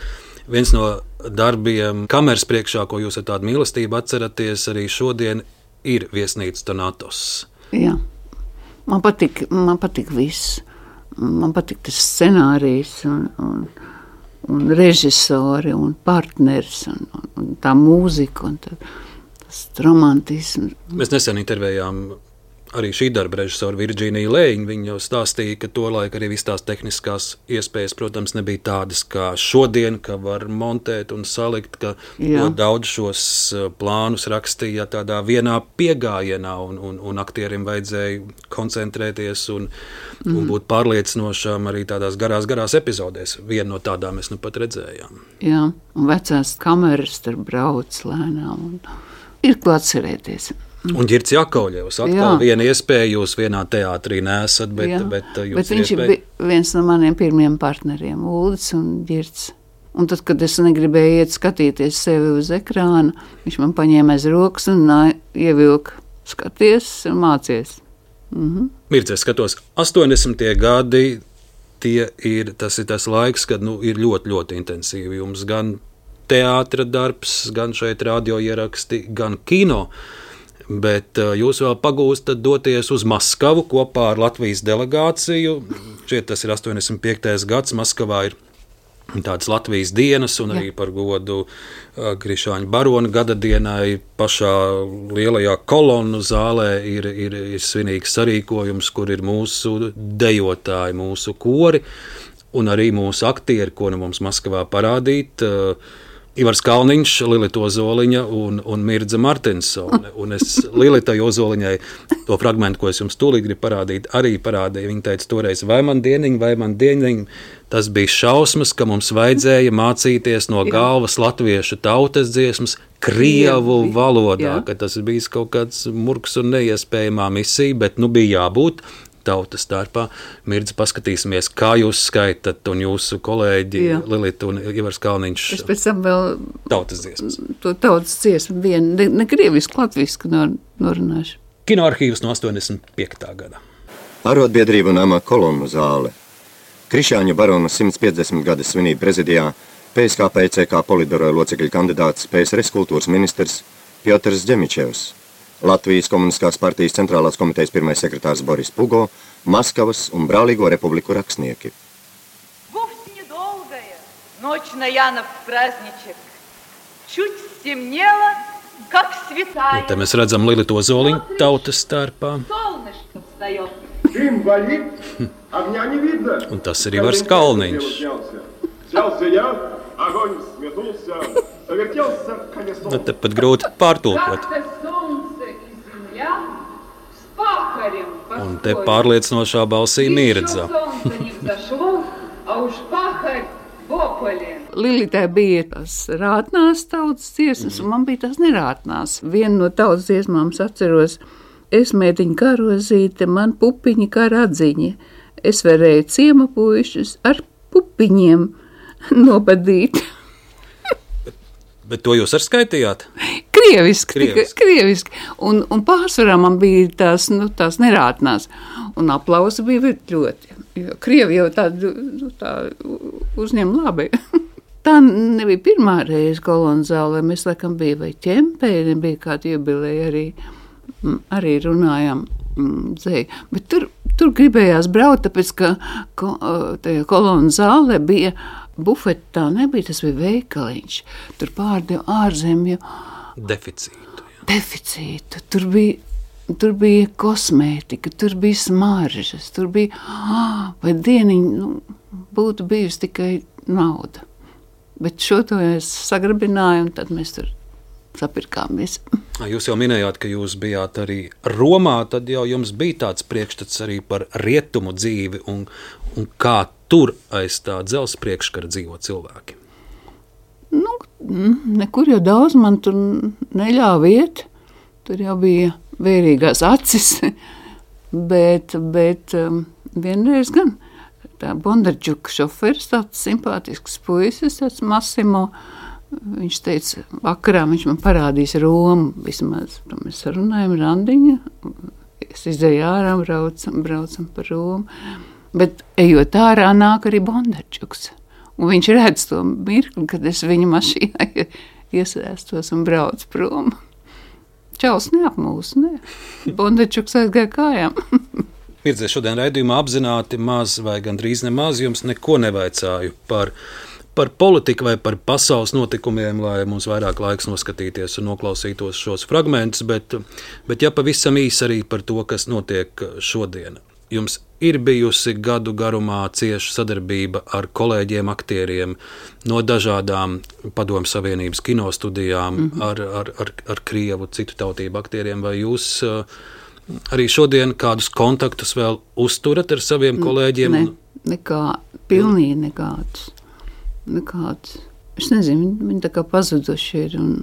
viens no darbiem kameras priekšā, ko jūs ar tādu mīlestību atceraties, arī šodien ir Viesnīca Donatos. Jā, man patīk, man patīk viss. Man patīk tas scenārijs un, un, un režisori un partners un, un tā mūzika un tā, tas romantisms. Mēs nesen intervējām arī šī darba režisoru Virģīniju Lējiņu. Viņa jau stāstīja, ka tolaik arī viss tās tehniskās iespējas, protams, nebija tādas kā šodien, ka var montēt un salikt, ka daudz šos plānus rakstīja tādā vienā piegājienā un, un, un aktierim vajadzēja koncentrēties un, mm. un būt pārliecinošām arī tādās garās, garās epizodēs. Vienu no tādām mēs nu pat redzējām. Jā, un vecās kameras tur brauc lēnām un ir ko atcerēties. Un Ģirds Jakovļevs atkal Jā. Viena iespēja, jūs vienā teātrī nesat, bet, bet jūs bet viņš iespēja... ir viens no maniem pirmiem partneriem, Uldis un Ģirds. Un tad, kad es negribēju iet skatīties sevi uz ekrāna, viņš man paņēma aiz rokas un ievilka skaties un mācies. Mhm. Mirdz, es skatos, astoņdesmitie gadi, tie ir, tas ir tas laiks, kad nu, ir ļoti, ļoti intensīvi. Jums gan teātra darbs, gan šeit radio ieraksti, gan kino. Bet jūs vēl pagūstat doties uz Maskavu kopā ar Latvijas delegāciju. Šeit tas ir astoņdesmit piektais gads. Maskavā ir tādas Latvijas dienas un arī par godu Krišāņa barona gada dienai pašā lielajā kolonnu zālē ir, ir, ir svinīgs sarīkojums, kur ir mūsu dejotāji, mūsu kori un arī mūsu aktieri, ko nu mums Maskavā parādīt. Ivars Kalniņš, Lilita Ozoliņa un, un Mirdza Martinsone. Un es Lilitai Ozoliņai to fragmentu, ko es jums tūlīt gribu parādīt, arī parādīju. Viņa teica toreiz, vai man dieniņ, vai man dieniņ. Tas bija šausmas, ka mums vajadzēja mācīties no galvas latviešu tautas dziesmas krievu valodā, ka tas bija kaut kāds murgs un neiespējamā misija, bet nu bija jābūt tautas starpā. Mirdz, paskatīsimies, kā jūs skaitat un jūsu kolēģi Jā. Lilita un Ivars Kalniņš. Es pēc tam vēl tautas dziesmas. To tautas dziesmu vienu, ne, ne krievisku, latvisku nor, norunāšu. Kinoarhīvs no astoņdesmit piektā gada. Arotbiedrību nama kolonnu zāle. Krišāņa barona simts piecdesmit gada svinību prezidijā P S K P C K politbiroja locekļu kandidāts P S R S kultūras ministrs Piotrs Ģemičevs. Latvijas komunistiskās partijas centrālās komitejas pirmais sekretārs Boris Pugo, Maskavas un Brālīgo republiku rakstnieki. Вовсе недолгая ночь на Янов праздничек. Чуть стемнело, как святая. Un te mēs redzam Lilitu Ozoliņu tautas starpā. Солнышко встает. Дым валит, огня не видно. Un tas ir Ivars Kalniņš. Снялся я, огонь сметулся, завертелся колесом. Nu, te pat grūti pārtulkot. Un te pārliecinošā balsī Mirdza. Lilitē bija tās rātnās tautas dziesmas, un man bija tās nerātnās. Viena no tautas dziesmām es atceros, es mētiņu kā rozīte, man pupiņi kā radziņi. Es varēju ciema puišus ar pupiņiem nobadīt. bet, bet to jūs arī skaitījāt? Krieviski, krieviski. krieviski. Un, un pārsvarā man bija tās, nu, tās nerātnās. Un aplausi bija ļoti. Jo Krievi jau tādu nu, tā uzņem labi. Tā nebija pirmā reize kolonizālē. Mēs laikam bija vai ķempēri, bija kāda jubileja arī, arī runājām dzēju. Bet tur, tur gribējās braukt, tāpēc, ka ko, tajā kolonizālē bija bufeti, tā nebija, tas bija veikaliņš. Tur pārdeva ārzemju deficītu. Jā. Deficītu. Tur bija, tur bija kosmētika, tur bija smaržas, tur bija, vai dieniņi, nu, būtu bijusi tikai nauda. Bet šo to es sagrabināju, un tad mēs tur sapirkāmies. Jūs jau minējāt, ka jūs bijāt arī Romā, tad jau jums bija tāds priekšstats arī par rietumu dzīvi, un, un kā tur aiz tā dzelzs priekškara dzīvo cilvēki. Nu, nekur jau daudz man tur neļāva iet. Tur jau bija vērīgās acis. bet, bet um, vienreiz gan tā Bondarčuka šoferis, tāds simpātisks puisis, tāds Massimo, viņš teica, vakarā viņš man parādīs Romu, vismaz. Mēs sarunājam randiņu, es izēju ārā, braucam, braucam par Romu. Bet ejot ārā, nāk arī Bondarčuks. Un viņš redz to mirkli, kad es viņa mašīnā iesēstos un braucu prom. Čaus neapmūs, ne? Bondarčuks aizgāja kājām. Mirdzē, šodien raidījumā apzināti maz vai gandrīz nemaz jums neko nevaicāju par, par politiku vai par pasaules notikumiem, lai mums vairāk laiks noskatīties un noklausītos šos fragmentus, bet, bet ja pavisam īsi arī par to, kas notiek šodien. Jums ir bijusi gadu garumā cieša sadarbība ar kolēģiem, aktieriem no dažādām Padomju Savienības kinostudijām, mm-hmm. ar, ar, ar, ar krievu citu tautību aktieriem. Vai jūs arī šodien kādus kontaktus vēl uzturat ar saviem kolēģiem? Ne, nekā, pilnīgi nekādus. nekādus. Es nezinu, viņi, viņi tā kā pazuduši ir, un,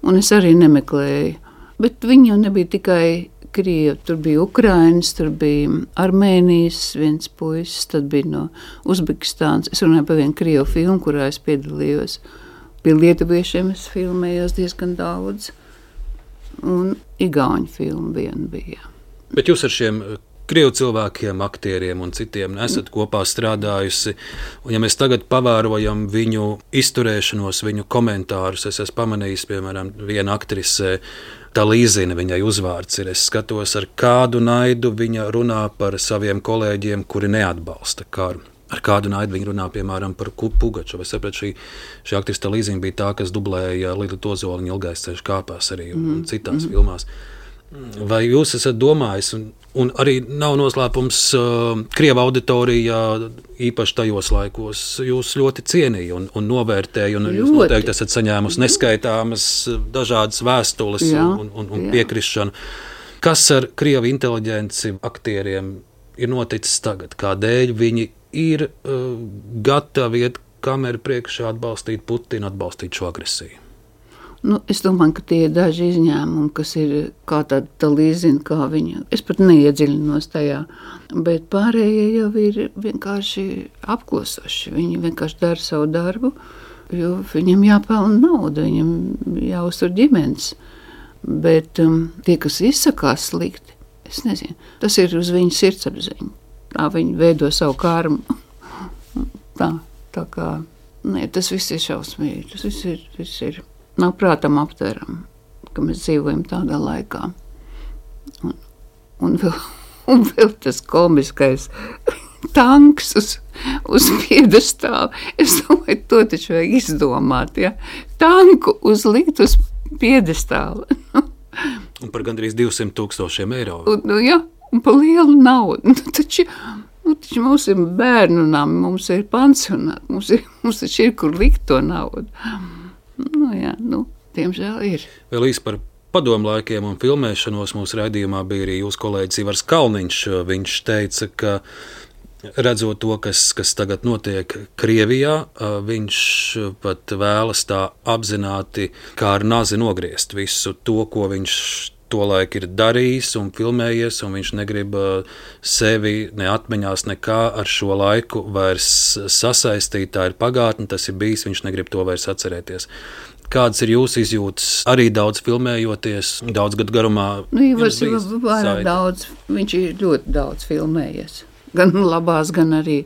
un es arī nemeklēju. Bet viņi jau nebija tikai Krievi, tur bija Ukrainas, tur bija Armēnijas viens puisis, tad bija no Uzbekistānas. Es runāju par vienu krievu filmu, kurā es piedalījos. Pie lietuviešiem es filmējos diezgan daudz. Un igauņu filmu viena bija. Bet jūs ar šiem krievu cilvēkiem, aktieriem un citiem esat kopā strādājusi. Un ja mēs tagad pavērojam viņu izturēšanos, viņu komentārus, es esmu pamanījis, piemēram, viena aktrise, tā Līzina, viņai uzvārds ir, es skatos, ar kādu naidu viņa runā par saviem kolēģiem, kuri neatbalsta karu. Ar kādu naidu viņa runā, piemēram, par Pugačovu. Es saprotu, šī, šī aktrise tā Līzina bija tā, kas dublēja Lili Tozoliņa Ilgais ceļš kāpās arī un mm. citās mm. filmās. Vai jūs esat domājis, un, un arī nav noslēpums uh, Krieva auditorijā, īpaši tajos laikos, jūs ļoti cienīja un, un novērtēja, un ļoti. Jūs noteikti esat saņēmusi neskaitāmas dažādas vēstules jā, un, un, un piekrišanu. Kas ar Krievu inteliģenci aktieriem ir noticis tagad? Kādēļ viņi ir uh, gatavi iet kameru priekšā atbalstīt Putinu, atbalstīt šo agresiju? Nu, es domāju, ka tie ir daži izņēmumi, kas ir kā tāda tā Līzina, kā viņa. Es pat neiedziļinos tajā, bet pārējie jau ir vienkārši apklosoši. Viņi vienkārši dara savu darbu, jo viņam jāpelna nauda, viņam jāuztur ģimenes. Bet um, tie, kas izsakās slikti, es nezinu, tas ir uz viņu sirdsapziņu. Tā viņi veido savu karmu. Tā, tā kā, nē, tas viss ir šausmīgi, tas viss ir, viss ir. Nav prātam aptveram, ka mēs dzīvojam tādā laikā. Un, un, vēl, un vēl tas komiskais tanks uz, uz piedestāla. Es domāju, to taču vajag izdomāt, ja? Tanku uzlikt uz piedestāla. Un par gandrīz divsimt tūkstošiem eiro. Un, nu, ja, un par lielu naudu. Nu, taču, nu, taču mums ir bērnu nami, mums ir pansionāti, mums, ir, mums taču ir, kur likt to naudu. Nu, jā, nu, tiemžēl ir. Vēl īsti par padomu laikiem un filmēšanos mūsu raidījumā bija arī jūsu kolēģis Ivars Kalniņš. Viņš teica, ka redzot to, kas, kas tagad notiek Krievijā, viņš pat vēlas tā apzināti kā ar nazi nogriezt visu to, ko viņš tolaik ir darījis un filmējies, un viņš negrib sevi ne atmiņās nekā ar šo laiku vairs sasaistīt. Tā ir pagātne, tas ir bijis, viņš negrib to vairs atcerēties. Kādas ir jūsu izjūtas? Arī daudz filmējoties, daudz gadu garumā. Nu, Ivars ir vairāk daudz, viņš ir ļoti daudz filmējies. Gan labās, gan arī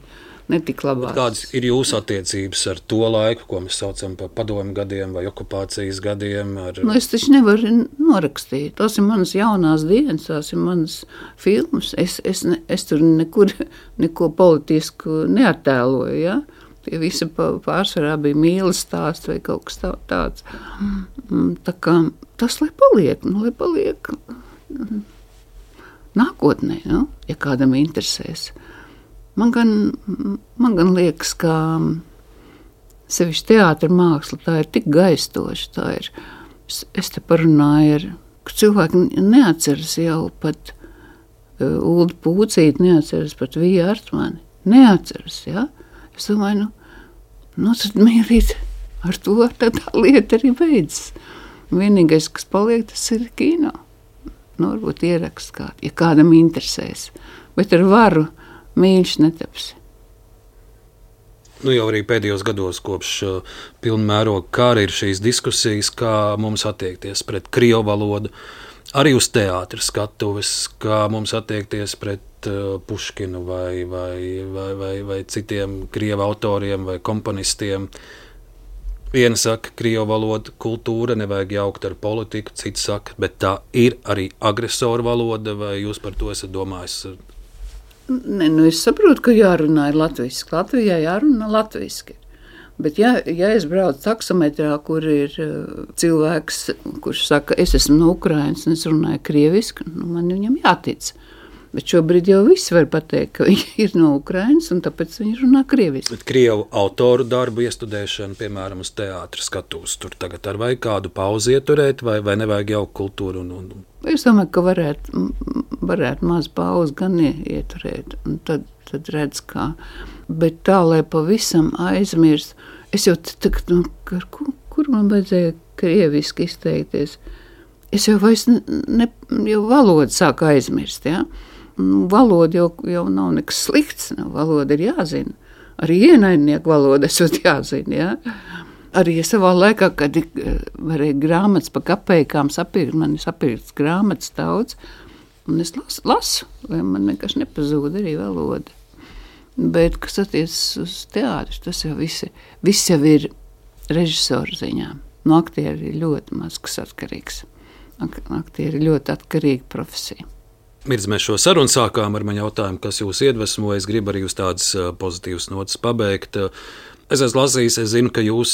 netik labās. Bet kādas ir jūsu attiecības ar to laiku, ko mēs saucam par padomu gadiem vai okupācijas gadiem? Ar... Nu, es taču nevaru norakstīt. Tas ir manas jaunās dienas, tās ir manas filmas. Es, es, ne, es tur nekur neko politisku neattēloju, ja? Tie visi pārsvarā bija mīlas stāsts vai kaut kas tā, tāds. Tā kā tas, lai paliek, nu, lai paliek nākotnē, nu, ja kādam interesēs. Man gan, man gan liekas, ka sevišķi teātra māksla, tā ir tik gaistoša, tā ir, es, es te parunāju ar, ka cilvēki neatceras jau pat uh, Uldu Pūcīti, neatceras pat Vija Artmani, neatceras, ja? Es domāju, nu, nu tad mīlīt, ar to tad tā lieta arī beidzas. Vienīgais, kas paliek, tas ir kino. Nu, varbūt ierakst kādu, ja kādam interesēs, bet ar varu mīļš netaps. Nu, jau arī pēdējos gados kopš uh, pilnmēroga kara ir šīs diskusijas, kā mums attiekties pret krievu valodu, arī uz teātra skatuves, kā mums attiekties pret uh, Puškinu vai, vai, vai, vai, vai citiem krievu autoriem vai komponistiem. Viena saka, krievu valoda, kultūra, nevajag jaukt ar politiku, cits saka, bet tā ir arī agresoru valoda, vai jūs par to esat domājis? Ne, nu es saprotu, ka jārunā ir latviski. Latvijā jārunā latviski. Bet ja, ja es braucu taksometrā, kur ir uh, cilvēks, kurš saka, es esmu no Ukrainas un es runāju krieviski, nu, man viņam jātic. Bet šobrīd jau visi var pateikt, ka viņi ir no Ukrainas un tāpēc viņi runā krieviski. Bet krievu autoru darbu iestudēšana, piemēram, uz teātra skatuves, tur tagad ar vai kādu pauzi ieturēt, vai, vai nevajag jau kultūru? Un, un... Es domāju, ka varētu, varētu maz pauzi gan ieturēt, un tad, tad redz kā. Bet tā, lai pavisam aizmirst, es jau tagad, nu, kur, kur man vajadzēja krieviski izteikties? Es jau vairs ne, ne jau valodu sāku aizmirst, ja? Nu, valoda jau, jau nav nekas slikts, nav, valoda ir jāzina. Arī ienaidnieku valoda esot jāzina, ja? Arī savā laikā, kad varēja grāmatas pa kapeikām sapirkt, man ir sapirkts grāmatas daudz, un es lasu, lasu, lai man nekas nepazūd arī valoda. Bet, kas attiecas uz teātru, tas jau visi, viss jau ir režisoru ziņā. No aktieri ir ļoti maz, kas atkarīgs. Aktieri ir ļoti atkarīga profesija. Mirdz, mēs šo sarunu sākām ar mani jautājumu, kas jūs iedvesmo. Es gribu arī uz tādas pozitīvas notas pabeigt. Es esmu lasījis, es zinu, ka jūs,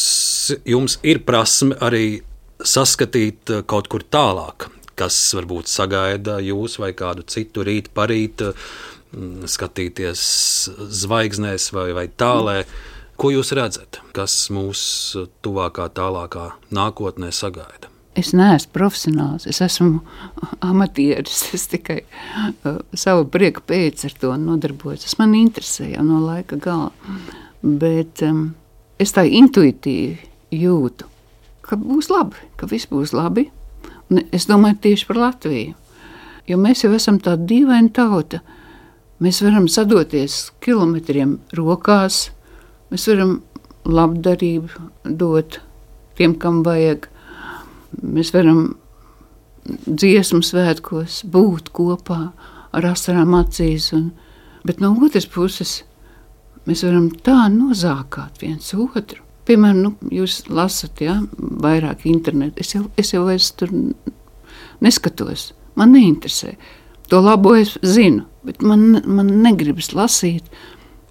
jums ir prasme arī saskatīt kaut kur tālāk, kas varbūt sagaida jūs vai kādu citu rīt parīt, skatīties zvaigznēs vai, vai tālē. Ko jūs redzat, kas mūs tuvākā, tālākā nākotnē sagaida? Es neesmu profesionāls, es esmu amatieris, es tikai uh, savu prieku pēc ar to nodarbojos. Tas man interesē jau no laika gala, bet um, es tā intuitīvi jūtu, ka būs labi, ka viss būs labi. Un es domāju tieši par Latviju, jo mēs jau esam tāda dīvaina tauta. Mēs varam sadoties kilometriem rokās, mēs varam labdarību dot tiem, kam vajag. Mēs varam dziesmu svētkos būt kopā ar asarām acīs, un, bet no otras puses mēs varam tā nozākāt viens otru. Piemēram, nu, jūs lasat, ja, vairāk internetu, es jau, es jau vairs tur neskatos, man neinteresē. To labo es zinu, bet man, man negribas lasīt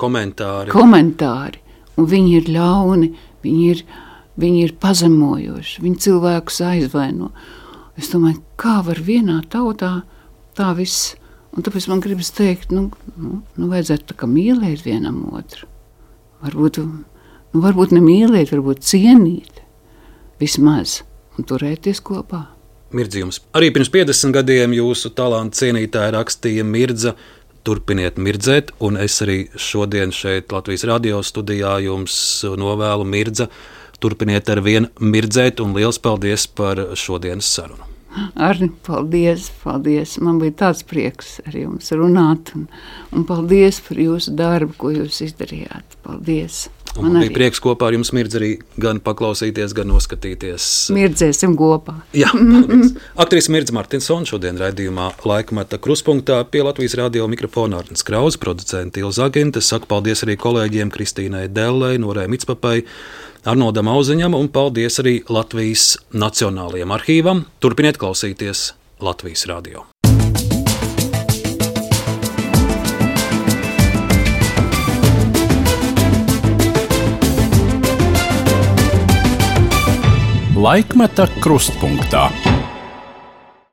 komentāri. komentāri, un viņi ir ļauni, viņi ir Viņi ir pazemojoši, viņi cilvēkus aizvaino. Es domāju, kā var vienā tautā tā viss, un tāpēc man gribas teikt, nu, nu, nu vajadzētu tā kā mīlēt vienam otru. Varbūt, nu, varbūt ne mīlēt, varbūt cienīt vismaz un turēties kopā. Mirdzījums. Arī pirms piecdesmit gadiem jūsu talantu cienītāji rakstīja Mirdza, turpiniet mirdzēt, un es arī šodien šeit Latvijas radio studijā jums novēlu Mirdza, turpiniet ar vien mirdzēt, un liels paldies par šodienas sarunu. Arni, paldies, paldies. Man bija tāds prieks ar jums runāt, un, un paldies par jūsu darbu, ko jūs izdarījāt. Paldies. Un man, man bija prieks kopā ar jums Mirdz arī gan paklausīties, gan noskatīties. Mirdzēsim kopā. Jā, paldies. Aktrise Mirdza Martinsone šodien raidījumā Laikmeta Krustpunktā pie Latvijas radio mikrofona Arnis Krauze, producente Ilza Aginte. Saku paldies arī kolēģiem Kristīnai Dellei, Norai Mitspapai, Arnoldam Auziņam un paldies arī Latvijas Nacionālajiem arhīvam. Turpiniet klausīties Latvijas radio. Laikmeta Krustpunktā.